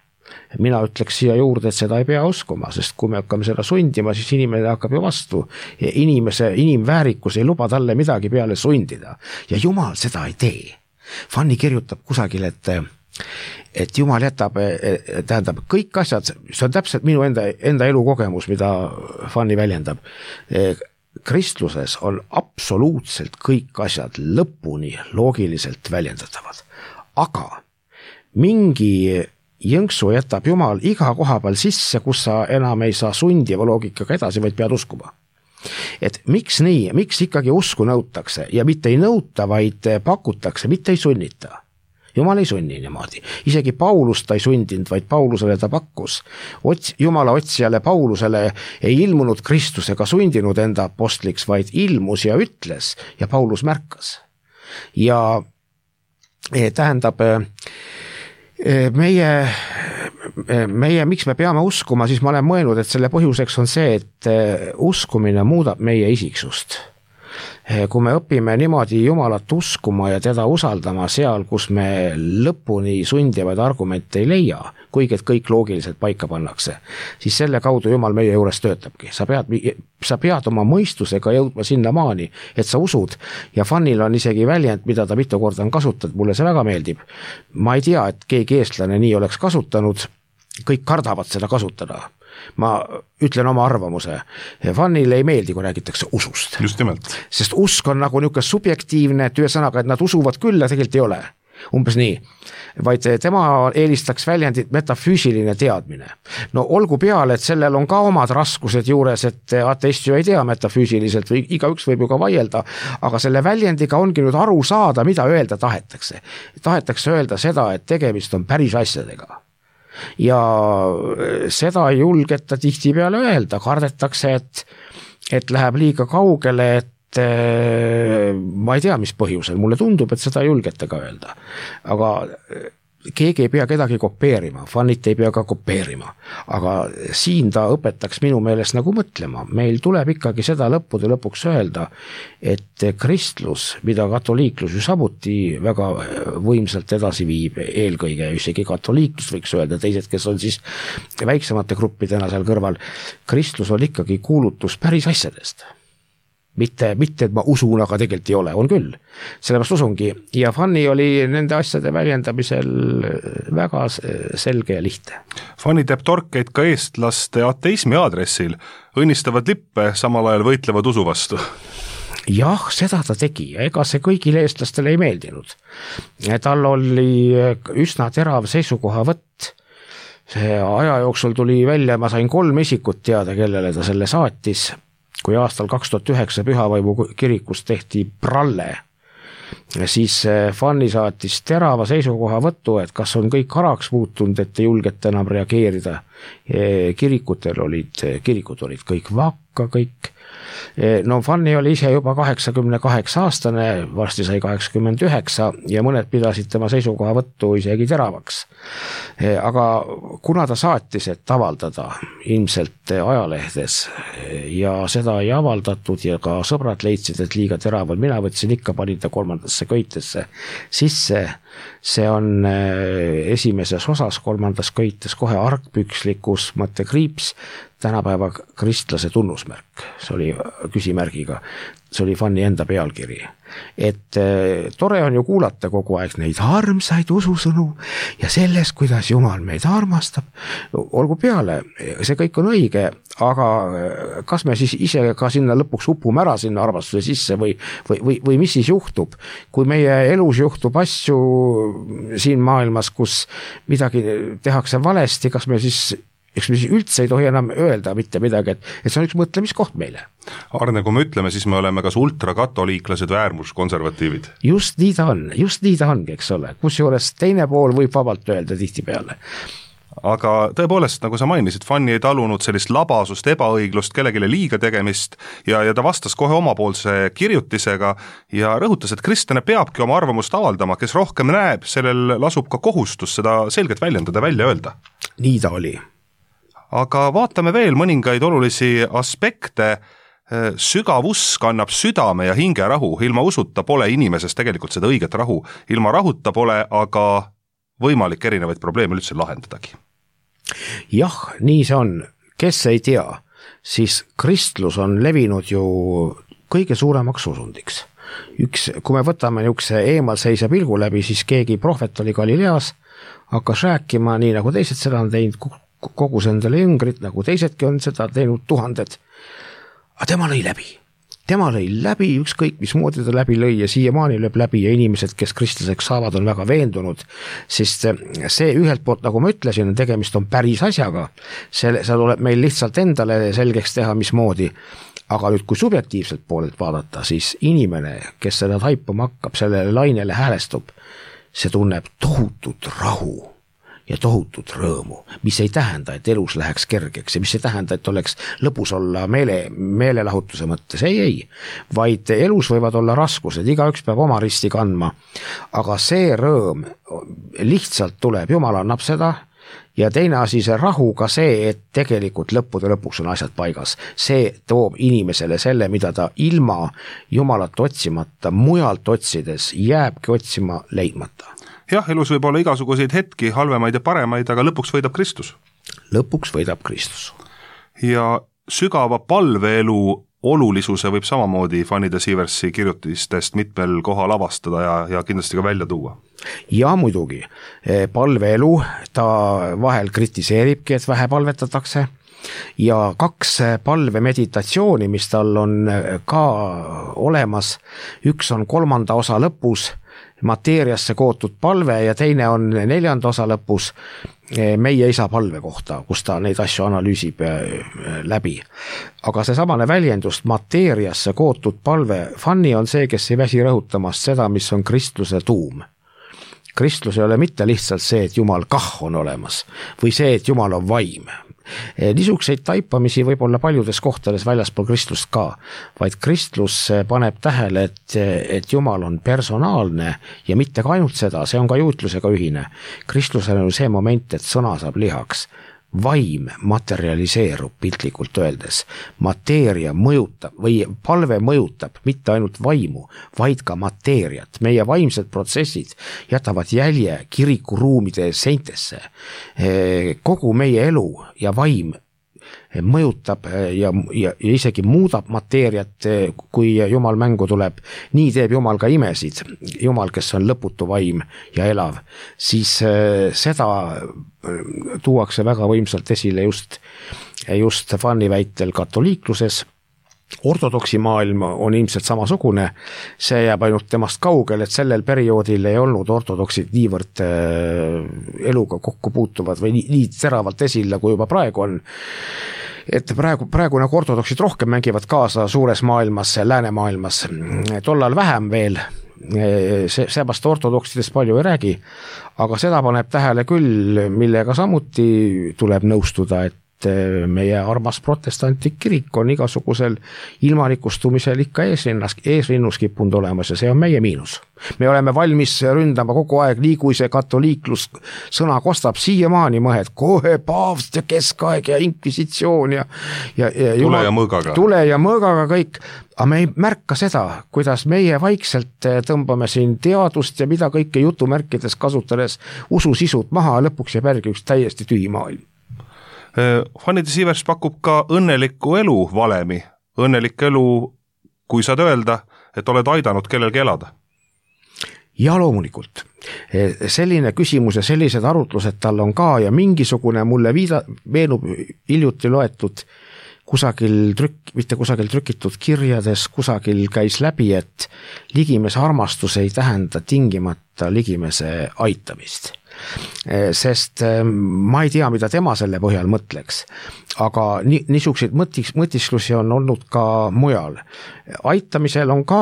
Mina ütleks siia juurde, et seda ei pea uskuma, sest kui me hakkame seda sundima, siis inimene hakkab ju vastu. Inimese, inimväärikus ei luba talle midagi peale sundida. Ja Jumal seda ei tee. Fanny kirjutab kusagil, et, et Jumal jätab, tähendab, kõik asjad, see on täpselt minu enda, enda elukogemus, mida Fanny väljendab. Kristluses on absoluutselt kõik asjad lõpuni loogiliselt väljendatavad. Aga mingi jõnksu jätab Jumal iga koha peal sisse, kus sa enam ei saa sundiva loogikaga edasi, vaid pead uskuma. Et miks nii, miks ikkagi usku nõutakse ja mitte ei nõuta, vaid pakutakse, mitte ei sunnita. Jumal ei sunni niimoodi. Isegi Paulus ta ei sundinud, vaid Paulusele ta pakkus. Ots, Jumala otsijale Paulusele ei ilmunud Kristus ega sundinud enda apostliks, vaid ilmus ja ütles ja Paulus märkas. Ja tähendab, meie, meie, miks me peame uskuma, siis ma olen mõelnud, et selle põhjuseks on see, et uskumine muudab meie isiksust. kui me õpime niimoodi Jumalat uskuma ja teda usaldama seal, kus me lõpuni sundivaid argumente ei leia, kuigi et kõik loogiliselt paika pannakse, siis selle kaudu Jumal meie juures töötabki. Sa pead, sa pead oma mõistusega jõudma sinna maani, et sa usud ja Fannil on isegi väljend, mida ta mitu korda on kasutanud, mulle see väga meeldib. Ma ei tea, et keegi eestlane nii oleks kasutanud, kõik kardavad seda kasutada. Ma ütlen oma arvamuse. Fannile ei meeldi, kui räägitakse usust. Just nimelt. Sest usk on nagu niisugune subjektiivne, et ühe sõnaga, et nad usuvad küll ja tegelikult ei ole. Umbes nii. Vaid tema eelistaks väljendit metafüüsiline teadmine. No olgu peale, et sellel on ka omad raskused juures, et ateist ju ei tea metafüüsiliselt või igaüks võib ju ka vaielda, aga selle väljendiga ongi nüüd aru saada, mida öelda tahetakse. Tahetakse öelda seda, et tegemist on päris asjadega. Ja seda ei julgeta tihti peale öelda, kardetakse, et, et läheb liiga kaugele, et ma ei tea, mis põhjusel, mulle tundub, et seda ei julgeta ka öelda, aga keegi ei pea kedagi kopeerima, Fannit ei pea ka kopeerima, aga siin ta õpetaks minu meelest nagu mõtlema, meil tuleb ikkagi seda lõppude lõpuks öelda, et kristlus, mida katoliiklus ju samuti väga võimsalt edasi viib, eelkõige isegi katoliiklus võiks öelda, teised, kes on siis väiksemate gruppidena seal kõrval, kristlus on ikkagi kuulutus päris asjadest. Mitte, mitte, et ma usun, aga tegelikult ei ole, on küll. Sellepärast usungi. Ja Fanni oli nende asjade väljendamisel väga selge ja lihtne. Fanni teeb torkeid ka eestlaste ateismi aadressil, õnnistavad lippe, samal ajal võitlevad usu vastu. Jah, seda ta tegi ja ega see kõigile eestlastele ei meeldinud. Tal oli üsna terav seisukohavõtt. See aja jooksul tuli välja, ma sain kolm isikut teada, kellele ta selle saatis. Kui aastal kaks tuhat üheksa Pühavaimu kirikus tehti pralle, siis Fanni saatis terava seisukoha võttu, et kas on kõik haraks muutunud, et ei julgeta enam reageerida. Kirikutel olid, kirikud olid kõik vakka, kõik. No Fanni oli ise juba kaheksakümne kaheksa aastane, varsti sai kaheksakümmend üheksa ja mõned pidasid tema seisukoha võttu isegi teravaks. Aga kuna ta saatis, et avaldada ilmselt ajalehdes ja seda ei avaldatud ja ka sõbrad leidsid, et liiga teraval, mina võtsin ikka, panin ta kolmandasse köitesse sisse. See on esimeses osas, kolmandas köites kohe argpükslikus mõttekriips, tänapäeva kristlase tunnusmärk, see oli küsimärgiga, see oli Fanni enda pealkiri. Et tore on ju kuulata kogu aeg neid armsaid ususõnu ja sellest, kuidas Jumal meid armastab, olgu peale, see kõik on õige, aga kas me siis ise ka sinna lõpuks upume ära sinna armastuse sisse või, või, või, või mis siis juhtub, kui meie elus juhtub asju siin maailmas, kus midagi tehakse valesti, kas me siis eks me siis üldse ei tohi enam öelda mitte midagi, et, et see on üks mõtlemiskoht meile. Arne, kui me ütleme, siis me oleme kas ultrakatoliiklased või äärmuskonservatiivid. Just nii ta on, just nii ta ongi, eks ole, kus juures teine pool võib vabalt öelda tihti peale. Aga tõepoolest, nagu sa mainisid, Fanni ei talunud sellist labasust, ebaõiglust, kellegile liiga tegemist ja, ja ta vastas kohe omapoolse kirjutisega ja rõhutas, et kristlane peabki oma arvamust avaldama, kes rohkem näeb, sellel lasub ka kohustus seda selgelt väljendada, välja öelda. Nii ta oli. Aga vaatame veel mõningaid olulisi aspekte. Sügav usk annab südame ja hinge rahu, ilma usuta pole inimeses tegelikult seda õiget rahu, ilma rahuta pole aga võimalik erinevaid probleeme üldse lahendadagi. Jah, nii see on. Kes ei tea, siis kristlus on levinud ju kõige suuremaks usundiks. Üks, kui me võtame niisuguse eemalseisa pilgu läbi, siis keegi prohvet oli Galileas, hakkas rääkima nii nagu teised seda on teinud, kogus endale jüngrit, nagu teisedki on seda teinud tuhanded. Aga tema lõi läbi. Tema lõi läbi, ükskõik mis moodi ta läbi lõi ja siiamaani lööb läbi ja inimesed, kes kristlaseks saavad, on väga veendunud, sest see ühelt poolt, nagu ma ütlesin, tegemist on päris asjaga. See, see tuleb meil lihtsalt endale selgeks teha, mis moodi. Aga nüüd, kui subjektiivselt poolelt vaadata, siis inimene, kes seda taipama hakkab, sellele lainele häälestub, see tunneb tohutut rahu ja tohutut rõõmu, mis ei tähenda, et elus läheks kergeks ja mis ei tähenda, et oleks lõpus olla meele, meelelahutuse mõttes, ei, ei, vaid elus võivad olla raskused, igaüks peab oma risti kandma, aga see rõõm lihtsalt tuleb, Jumal annab seda ja teine asi, see rahu ka see, et tegelikult lõppude lõpuks on asjad paigas. See toob inimesele selle, mida ta ilma Jumalat otsimata, mujalt otsides jääbki otsima leidmata. Jah, elus võib olla igasuguseid hetki, halvemaid ja paremaid, aga lõpuks võidab Kristus. Lõpuks võidab Kristus. Ja sügava palveelu olulisuse võib samamoodi Fanny de Sieversi kirjutistest mitmel kohal avastada ja, ja kindlasti ka välja tuua. Ja muidugi, palveelu ta vahel kritiseeribki, et vähe palvetatakse ja kaks palvemeditatsiooni, mis tal on ka olemas, üks on kolmanda osa lõpus, mateeriasse kootud palve ja teine on neljanda osa lõpus meie isa palve kohta, kus ta neid asju analüüsib läbi. Aga see samane väljendust mateeriasse kootud palve, Fanny on see, kes ei väsi rõhutamast seda, mis on kristluse tuum. Kristlus ei ole mitte lihtsalt see, et Jumal kah on olemas või see, et Jumal on vaim. Niisuguseid taipamisi võib olla paljudes kohtades väljaspool kristlust ka, vaid kristlus paneb tähele, et, et Jumal on personaalne ja mitte ka ainult seda, see on ka juutlusega ühine. Kristlusel on see moment, et sõna saab lihaks. Vaim materialiseerub piltlikult öeldes. Mateeria mõjutab või palve mõjutab mitte ainult vaimu, vaid ka mateeriat. Meie vaimsed protsessid jätavad jälje kirikuruumide seintesse. Kogu meie elu ja vaim mõjutab ja, ja, ja isegi muudab mateeriat, kui Jumal mängu tuleb. Nii teeb Jumal ka imesid. Jumal, kes on lõputu vaim ja elav, siis seda tuuakse väga võimsalt esile just, just Fanny väitel katoliikluses. Ortodoksi maailm on ilmselt samasugune, see jääb ainult temast kaugel, et sellel perioodil ei olnud ortodoksid niivõrd eluga kokku puutuvad või nii, nii teravalt esile, kui juba praegu on. Et praegu, praegu nagu ortodoksid rohkem mängivad kaasa suures maailmas, läänemaailmas, tollal vähem veel, see, seepärast ortodoksidest palju ei räägi, aga seda paneb tähele küll, millega samuti tuleb nõustuda, et meie armas protestantlik kirik on igasugusel ilmanikustumisel ikka eesrinnas, eesrinnus kippunud olemas ja see on meie miinus. Me oleme valmis ründama kogu aeg, nii kui see katoliiklus sõna kostab siiamaani mõhed, kohe paavst ja keskaeg ja inkvisitsioon ja, ja, ja tule ja mõõgaga. Tule ja mõõgaga kõik, aga me ei märka seda, kuidas meie vaikselt tõmbame siin teadust ja mida kõike jutumärkides kasutades ususisud maha ja lõpuks jääb järgi üks täiesti tühi maailm. Fanny de Sievers pakub ka õnneliku elu valemi. Õnnelik elu, kui saad öelda, et oled aidanud kellelgi elada. Ja loomulikult. Selline küsimus ja sellised arutlused tal on ka ja mingisugune mulle viida, meenub hiljuti loetud kusagil trükk, mitte kusagil trükitud kirjades, kusagil käis läbi, et ligimese armastus ei tähenda tingimata ligimese aitamist. Sest ma ei tea, mida tema selle põhjal mõtleks, aga ni, niisuguseid mõtiks, mõtisklusi on olnud ka mujal. Aitamisel on ka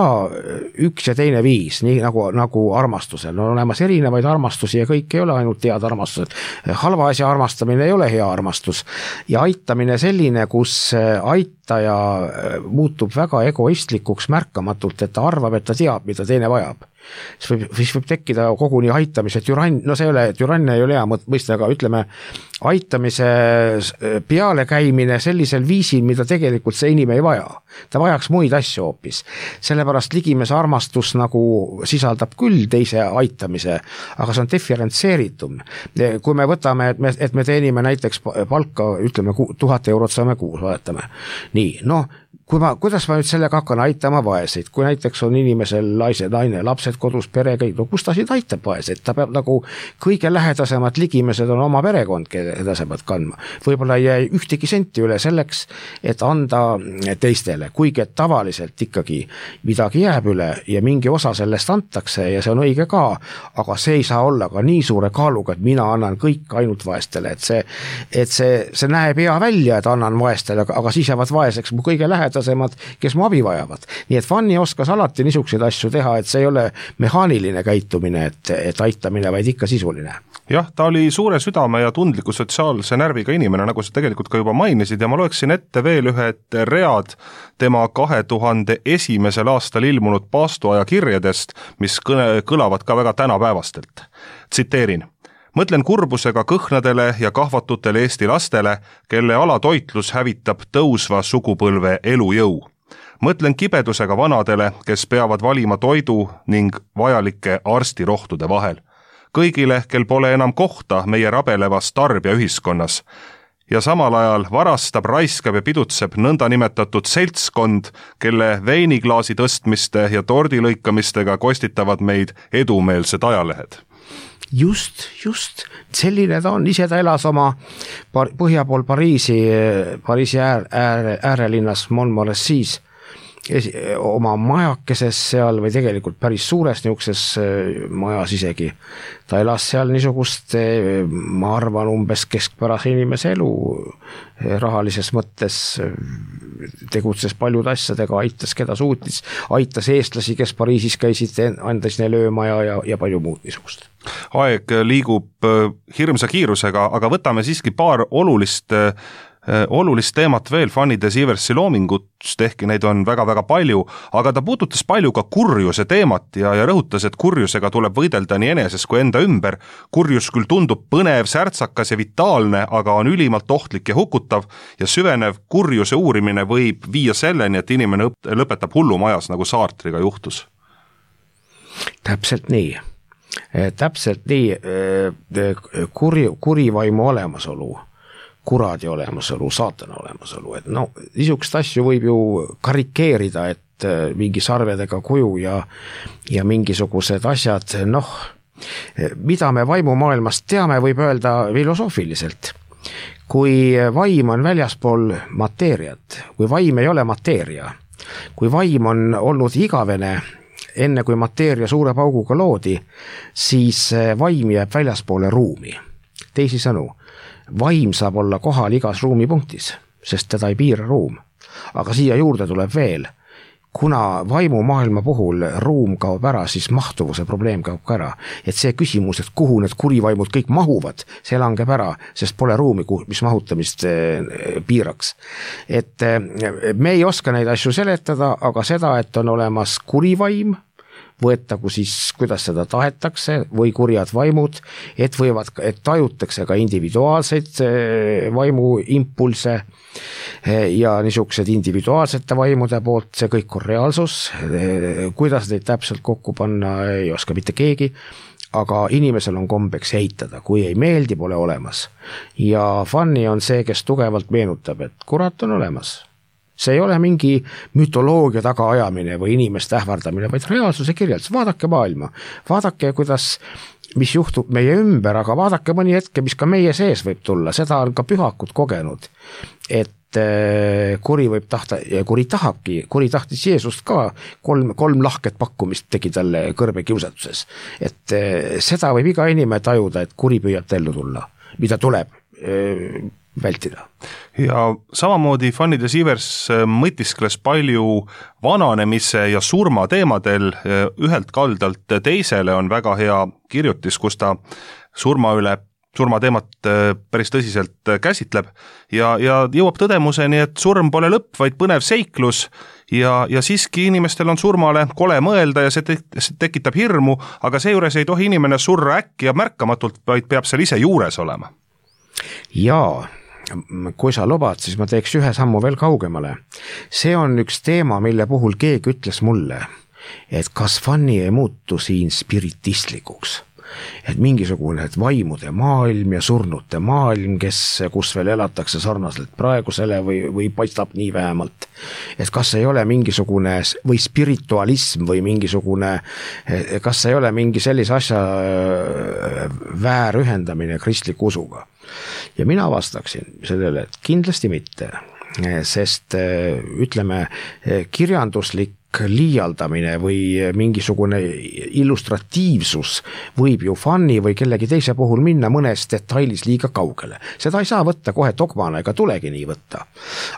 üks ja teine viis, nii nagu, nagu armastusel. On olemas erinevaid armastusi ja kõik ei ole ainult head armastused. Halva asja armastamine ei ole hea armastus ja aitamine selline, kus aitaja muutub väga egoistlikuks märkamatult, et ta arvab, et ta teab, mida teine vajab. Siis võib, siis võib tekkida koguni aitamise türann, no see ei ole, türann ei ole hea mõiste, aga ütleme, aitamise peale käimine sellisel viisil, mida tegelikult see inimene ei vaja. Ta vajaks muid asju hoopis. Sellepärast ligimese armastus nagu sisaldab küll teise aitamise, aga see on diferentseeritum. Kui me võtame, et me, et me teenime näiteks palka, ütleme, tuhat eurot saame kuus, vaatame. Nii, noh, kui ma, kuidas ma nüüd sellega hakkan aitama vaeseid, kui näiteks on inimesel naise, naine, lapsed kodus, pere, kõik, no kus ta siin aitab vaeseid, ta peab nagu kõige lähedasemad ligimesed on oma perekond, keda sa pead kandma. Võib-olla ei jää ühtegi senti üle selleks, et anda teistele, kuigi et tavaliselt ikkagi midagi jääb üle ja mingi osa sellest antakse ja see on õige ka, aga see ei saa olla ka nii suure kaaluga, et mina annan kõik ainult vaestele, et see, et see, see näeb hea välja, et annan vaestele, aga siis jäävad vaeseks mu kõige lähedasemad, kes mu abi vajavad. Nii et Fanny oskas alati niisuguseid asju teha, et see ei ole mehaaniline käitumine, et, et aitamine, vaid ikka sisuline. Jah, ta oli suure südame ja tundliku sotsiaalse närviga inimene, nagu sa tegelikult ka juba mainisid, ja ma loeksin ette veel ühed read tema kahe tuhande esimesel aastal ilmunud paastuaja kirjadest, mis kõne, kõlavad ka väga tänapäevastelt. Tsiteerin. Mõtlen kurbusega kõhnadele ja kahvatutele Eesti lastele, kelle alatoitlus hävitab tõusva sugupõlve elujõu. Mõtlen kibedusega vanadele, kes peavad valima toidu ning vajalike arstirohtude vahel. Kõigile, kel pole enam kohta meie rabelevas tarbijaühiskonnas. Ja samal ajal varastab, raiskab ja pidutseb nõnda nimetatud seltskond, kelle veiniklaasi tõstmiste ja tordilõikamistega kostitavad meid edumeelsed ajalehed. Just, just. Selline ta on. Ise ta elas oma põhja pool Pariisi, Pariisi äär, ääre, äärelinnas Montmorency's oma majakeses seal või tegelikult päris suures niukses majas isegi. Ta elas seal niisugust, ma arvan, umbes keskpärase inimese elu rahalises mõttes, tegutses paljude asjadega, aitas keda suutis, aitas eestlasi, kes Pariisis käisid, andis neile öömaja ja, ja palju muud niisugust. Aeg liigub hirmsa kiirusega, aga võtame siiski paar olulist olulist teemat veel Fanny de Sieversi loomingust, ehkki neid on väga-väga palju, aga ta puudutas palju ka kurjuse teemat ja, ja rõhutas, et kurjusega tuleb võidelda nii eneses kui enda ümber. Kurjus küll tundub põnev, särtsakas ja vitaalne, aga on ülimalt ohtlik ja hukutav ja süvenev kurjuse uurimine võib viia selleni, et inimene lõpetab hullumajas, nagu Sartriga juhtus. Täpselt nii. Täpselt nii. Kuri, kurivaimu olemasolu, kuradi olemasolu, saatana olemasolu, et no niisugust asju võib ju karikeerida, et mingi sarvedega kuju ja, ja mingisugused asjad, noh, mida me vaimumaailmast teame, võib öelda filosoofiliselt. Kui vaim on väljaspool mateeriat, kui vaim ei ole mateeria, kui vaim on olnud igavene, enne kui mateeria suure pauguga loodi, siis vaim jääb väljaspoole ruumi. Teisi sõnu, vaim saab olla kohal igas ruumipunktis, sest teda ei piira ruum. Aga siia juurde tuleb veel, kuna vaimumaailma puhul ruum kaob ära, siis mahtuvuse probleem kaob ka ära. Et see küsimus, et kuhu need kurivaimud kõik mahuvad, see langeb ära, sest pole ruumi, mis mahutamist piiraks. Et me ei oska neid asju seletada, aga seda, et on olemas kurivaim, võetagu siis, kuidas seda tahetakse, või kurjad vaimud, et võivad, et tajutakse ka individuaalseid vaimu impulse ja niisugused individuaalsete vaimude poolt, see kõik on reaalsus, kuidas neid täpselt kokku panna, ei oska mitte keegi, aga inimesel on kombeks eitada, kui ei meeldi, pole olemas. Ja Fanny on see, kes tugevalt meenutab, et kurat on olemas. See ei ole mingi mütoloogia tagaajamine või inimeste ähvardamine, vaid reaalsuse kirjeldus. Vaadake maailma, vaadake, kuidas, mis juhtub meie ümber, aga vaadake mõni hetke, mis ka meie sees võib tulla. Seda on ka pühakud kogenud, et kuri võib tahta, ja kuri tahabki, kuri tahtis Jeesust ka, kolm, kolm lahket pakkumist tegi talle kõrbe kiusatuses. Et seda võib iga inimene tajuda, et kuri püüab tellu tulla, mida tuleb vältida. Ja samamoodi Fanny de Sievers mõtiskles palju vananemise ja surma teemadel, ühelt kaldalt teisele on väga hea kirjutis, kus ta surma üle surma teemat päris tõsiselt käsitleb ja, ja jõuab tõdemuseni, et surm pole lõpp, vaid põnev seiklus ja, ja siiski inimestel on surmale kole mõelda ja see, te, see tekitab hirmu, aga seejuures ei tohi inimene surra äkki ja märkamatult, vaid peab seal ise juures olema. Jaa, kui sa lubad, siis ma teeks ühe sammu veel kaugemale. See on üks teema, mille puhul keegi ütles mulle, et kas Fanny ei muutu siin spiritistlikuks. Et mingisugune et vaimude maailm ja surnute maailm, kes, kus veel elatakse sarnaselt praegusele või, või paistab nii vähemalt. Et kas ei ole mingisugune või spiritualism või mingisugune, kas ei ole mingi sellise asja väärühendamine kristliku usuga. Ja mina vastaksin sellele, et kindlasti mitte, sest ütleme kirjanduslik liialdamine või mingisugune illustratiivsus võib ju Fanny või kellegi teise puhul minna mõnes detailis liiga kaugele. Seda ei saa võtta kohe dogmana ega tulegi nii võtta.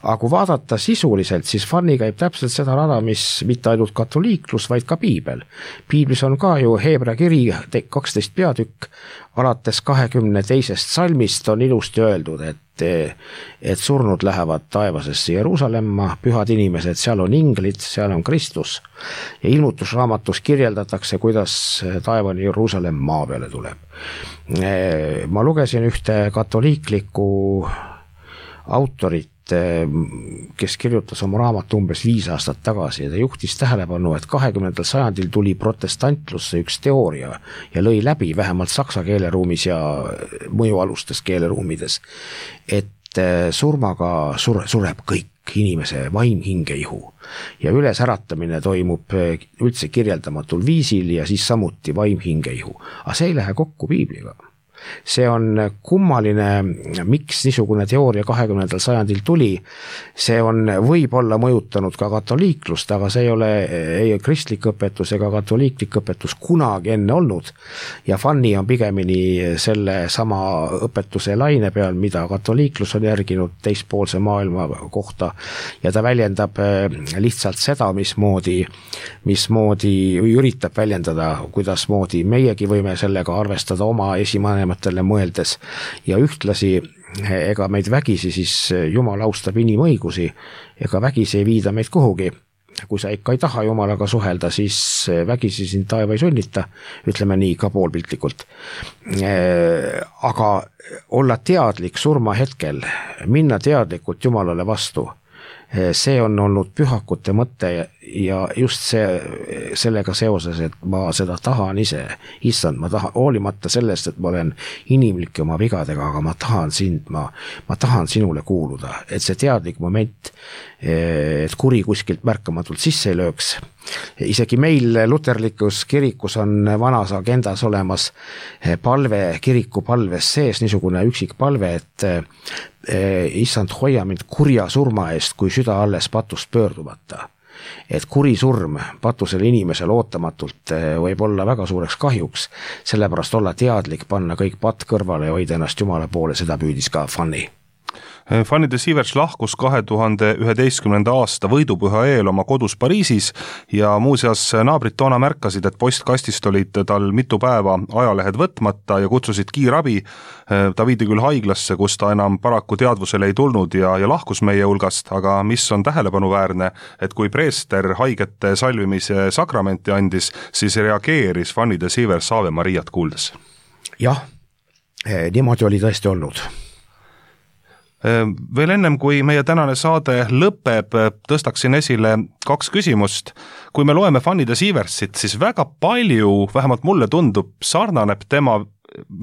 Aga kui vaadata sisuliselt, siis Fanny käib täpselt seda rada, mis mitte ainult katoliiklus, vaid ka piibel. Piiblis on ka ju Heebrea kiri kaksteist peatükk, alates kahekümne teisest salmist on ilusti öeldud, et et, et surnud lähevad taevasesse Jeruusalemma, pühad inimesed, seal on inglid, seal on Kristus ja ilmutusraamatus kirjeldatakse, kuidas taevani Jeruusalemm maa peale tuleb. Ma lugesin ühte katoliiklikku autorit, kes kirjutas oma raamatu umbes viis aastat tagasi ja ta juhtis tähelepanu, et kahekümnendal sajandil tuli protestantlusse üks teooria ja lõi läbi vähemalt saksa keeleruumis ja mõjualustes keeleruumides, et surmaga sure, sureb kõik inimese vaim, hinge, ihu ja ülesäratamine toimub üldse kirjeldamatul viisil ja siis samuti vaim, hinge, ihu. Aga see ei lähe kokku piibliga. See on kummaline, miks niisugune teooria kahekümnendal sajandil tuli, see on võib-olla mõjutanud ka katoliiklust, aga see ei ole ei kristlik õpetus ega katoliiklik õpetus kunagi enne olnud ja Fanny on pigemini selle sama õpetuse laine peal, mida katoliiklus on järginud teispoolse maailma kohta ja ta väljendab lihtsalt seda, mismoodi, mismoodi üritab väljendada, kuidasmoodi meiegi võime sellega arvestada oma esimanema mõeldes ja ühtlasi ega meid vägisi siis Jumal austab inimõigusi ega vägisi ei viida meid kuhugi. Kui sa ikka ei taha Jumalaga suhelda, siis vägisi sind taeva ei sunnita, ütleme nii ka poolpiltlikult. Aga olla teadlik surma hetkel, minna teadlikult Jumalale vastu, see on olnud pühakute mõte ja just see, sellega seoses, et ma seda tahan ise, issand, ma tahan, hoolimata sellest, et ma olen inimlik oma vigadega, aga ma tahan sind, ma, ma tahan sinule kuuluda, et see teadlik moment, et kuri kuskilt märkamatult sisse ei lööks. Isegi meil luterlikus kirikus on vanas agendas olemas palve, kiriku palves sees niisugune üksik palve, et issand, hoia mind kurja surma eest, kui süda alles patust pöördumata. Et kuri surm patusel inimesel ootamatult võib olla väga suureks kahjuks, sellepärast olla teadlik, panna kõik patt kõrvale ja hoida ennast Jumala poole, seda püüdis ka Fanny. Fanny de Sievers lahkus kahe tuhande üheteistkümnenda aasta võidupüha eel oma kodus Pariisis ja muuseas naabrid toona märkasid, et postkastist olid tal mitu päeva ajalehed võtmata ja kutsusid kiirabi. Ta viidi küll haiglasse, kus ta enam paraku teadvusele ei tulnud ja, ja lahkus meie hulgast, aga mis on tähelepanuväärne, et kui preester haigete salvimise sakramenti andis, siis reageeris Fanny de Sievers Ave Mariat kuuldes. Jah, niimoodi oli tõesti olnud. Veel ennem, kui meie tänane saade lõpeb, tõstaksin esile kaks küsimust. Kui me loeme Fanny de Sieversit, siis väga palju, vähemalt mulle tundub, sarnaneb tema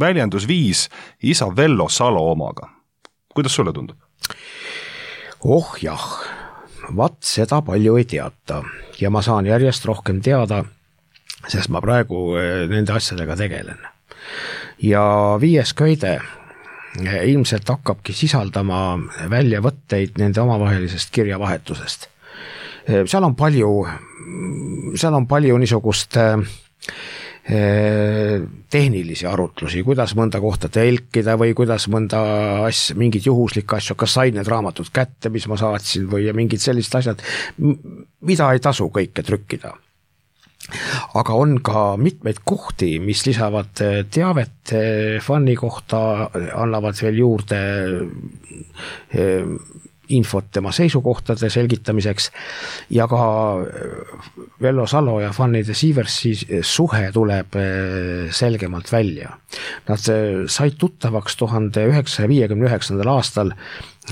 väljendusviis isa Vello Salo omaga. Kuidas sulle tundub? Oh jah, vat seda palju ei teata ja ma saan järjest rohkem teada, sest ma praegu nende asjadega tegelen. Ja viies köide ilmselt hakkabki sisaldama väljavõtteid nende omavahelisest kirjavahetusest. Seal on palju, seal on palju niisugust tehnilisi arutlusi, kuidas mõnda kohta telkida või kuidas mõnda asja, mingid juhuslikke asju, kas said need raamatud kätte, mis ma saatsin või mingid sellised asjad, mida ei tasu kõike trükkida. Aga on ka mitmeid kohti, mis lisavad teavet Fanny kohta, annavad veel juurde infot tema seisukohtade selgitamiseks ja ka Vello Salo ja Fanny de Sieversi suhe tuleb selgemalt välja. Nad said tuttavaks tuhande üheksasaja viiekümne üheksandal aastal.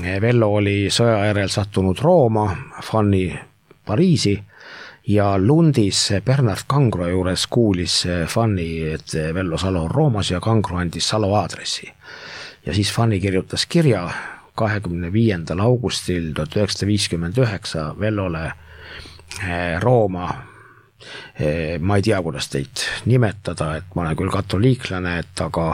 Vello oli sõja järel sattunud Rooma, Fanny Pariisi ja Lundis Bernard Kangro juures kuulis Fanny, et Vello Salo on Roomas ja Kangro andis Salo aadressi. Ja siis Fanny kirjutas kirja kahekümne viiendal augustil tuhat üheksasada viiskümmend üheksa Vellole Rooma. Ma ei tea, kuidas teid nimetada, et ma olen küll katoliiklane, et aga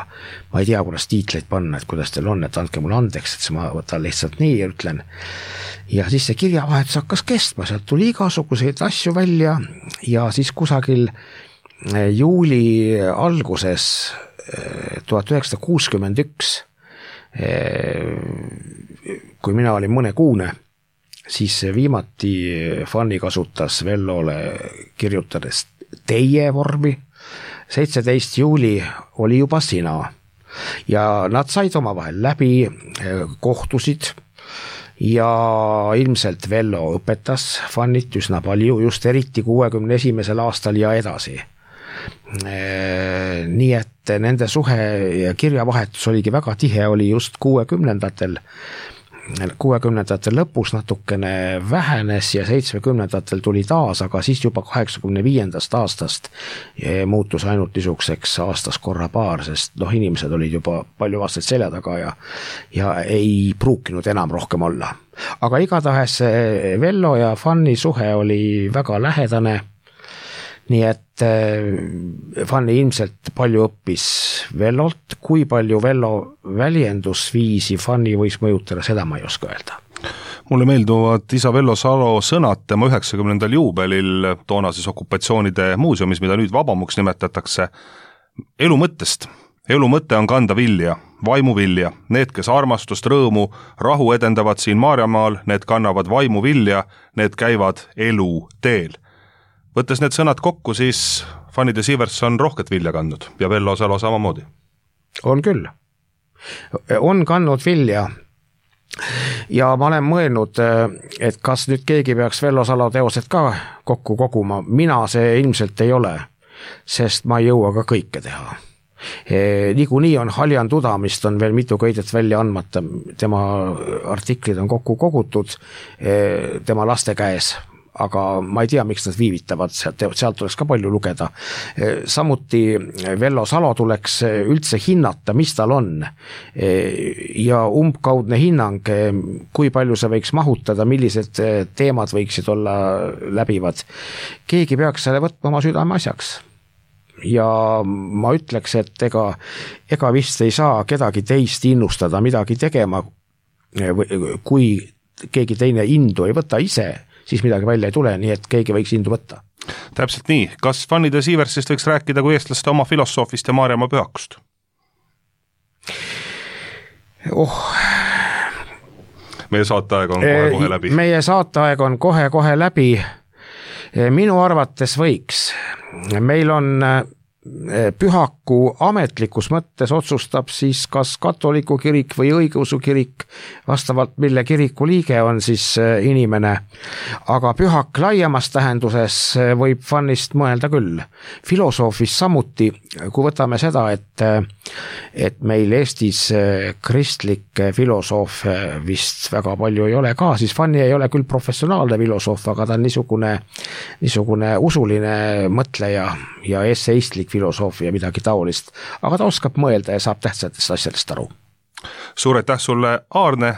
ma ei tea, kuidas tiitleid panna, et kuidas teil on, et andke mulle andeks, et ma võtan lihtsalt nii ja ütlen. Ja siis see kirjavahetus hakkas kestma, sealt tuli igasuguseid asju välja ja siis kusagil juuli alguses tuhat üheksasada kuuskümmend üks, kui mina olin mõnekuune, siis viimati Fanny kasutas Vellole kirjutades teie vormi. seitseteist juuli oli juba sina ja nad said omavahel läbi, kohtusid ja ilmselt Vello õpetas Fannit üsna palju, just eriti kuuekümne esimesel aastal ja edasi. Nii et nende suhe ja kirjavahetus oligi väga tihe, oli just kuuekümnendatel, kuuekümnendatel lõpus natukene vähenes ja seitsmekümnendatel tuli taas, aga siis juba kaheksakümne viiendast aastast muutus ainult niisuguseks aastas korra paar, sest noh, inimesed olid juba palju aastaid selja taga ja, ja ei pruukinud enam rohkem olla. Aga igatahes Vello ja Fanni suhe oli väga lähedane, nii et Fanni ilmselt palju õppis Vellolt, kui palju Vello väljendusviisi Fanni võis mõjutada, seda ma ei oska öelda. Mulle meelduvad isa Vello Salo sõnad tema üheksakümnendal juubelil toonases okupatsioonide muuseumis, mida nüüd vabamuks nimetatakse, elu mõttest. Elu mõte on kanda vilja, vaimu vilja. Need, kes armastust, rõõmu, rahu edendavad siin Maarjamaal, need kannavad vaimu vilja, need käivad elu teel. Võttes need sõnad kokku, siis Fanny de Sivers on rohket vilja kandnud ja Vello Salo samamoodi. On küll. On kandnud vilja ja ma olen mõelnud, et kas nüüd keegi peaks Vello Salo teosed ka kokku koguma. Mina see ilmselt ei ole, sest ma ei jõua ka kõike teha. Niikuinii on Haljan Tudamist on veel mitu köidet välja andmata, tema artiklid on kokku kogutud tema laste käes, aga ma ei tea, miks nad viivitavad, sealt, sealt tuleks ka palju lugeda. Samuti Vello Salo tuleks üldse hinnata, mis tal on ja umbkaudne hinnang, kui palju see võiks mahutada, millised teemad võiksid olla läbivad. Keegi peaks selle võtma oma südame asjaks. Ja ma ütleks, et ega, ega vist ei saa kedagi teist innustada midagi tegema, kui keegi teine indu ei võta ise, siis midagi välja ei tule, nii et keegi võiks indu võtta. Täpselt nii. Kas Fanny de Siversist võiks rääkida kui eestlaste oma filosoofist ja Maarjamaa pühakust? Oh. Meie saateaeg on kohe-kohe läbi. Meie saateaeg on kohe-kohe läbi. Minu arvates võiks. Meil on pühaku ametlikus mõttes otsustab siis kas katoliku kirik või õigeusu kirik, vastavalt mille kiriku liige on siis inimene. Aga pühak laiemas tähenduses võib Fannist mõelda küll. Filosoofis samuti, kui võtame seda, et, et meil Eestis kristlik filosoof vist väga palju ei ole ka, siis Fanni ei ole küll professionaalne filosoof, aga ta on niisugune, niisugune usuline mõtleja ja esseistlik filosoofia midagi taolist, aga ta oskab mõelda ja saab tähtsatest asjadest aru. Suur aitäh sulle, Aarne!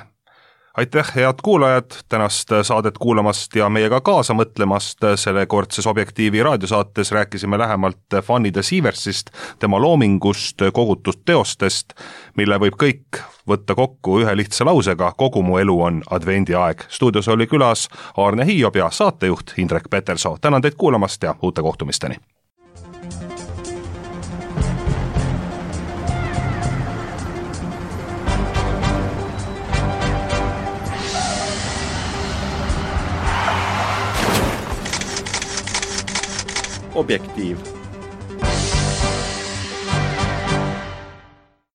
Aitäh, head kuulajad, tänast saadet kuulamast ja meiega kaasa mõtlemast. Selle kordses Objektiivi raadiosaates rääkisime lähemalt Fanny de Siversist, tema loomingust, kogutud teostest, mille võib kõik võtta kokku ühe lihtsa lausega: kogu mu elu on advendiaeg. Stuudios oli külas Aarne Hiiob ja saatejuht Indrek Petersoo. Tänan teid kuulamast ja uute kohtumisteni! Objektiiv.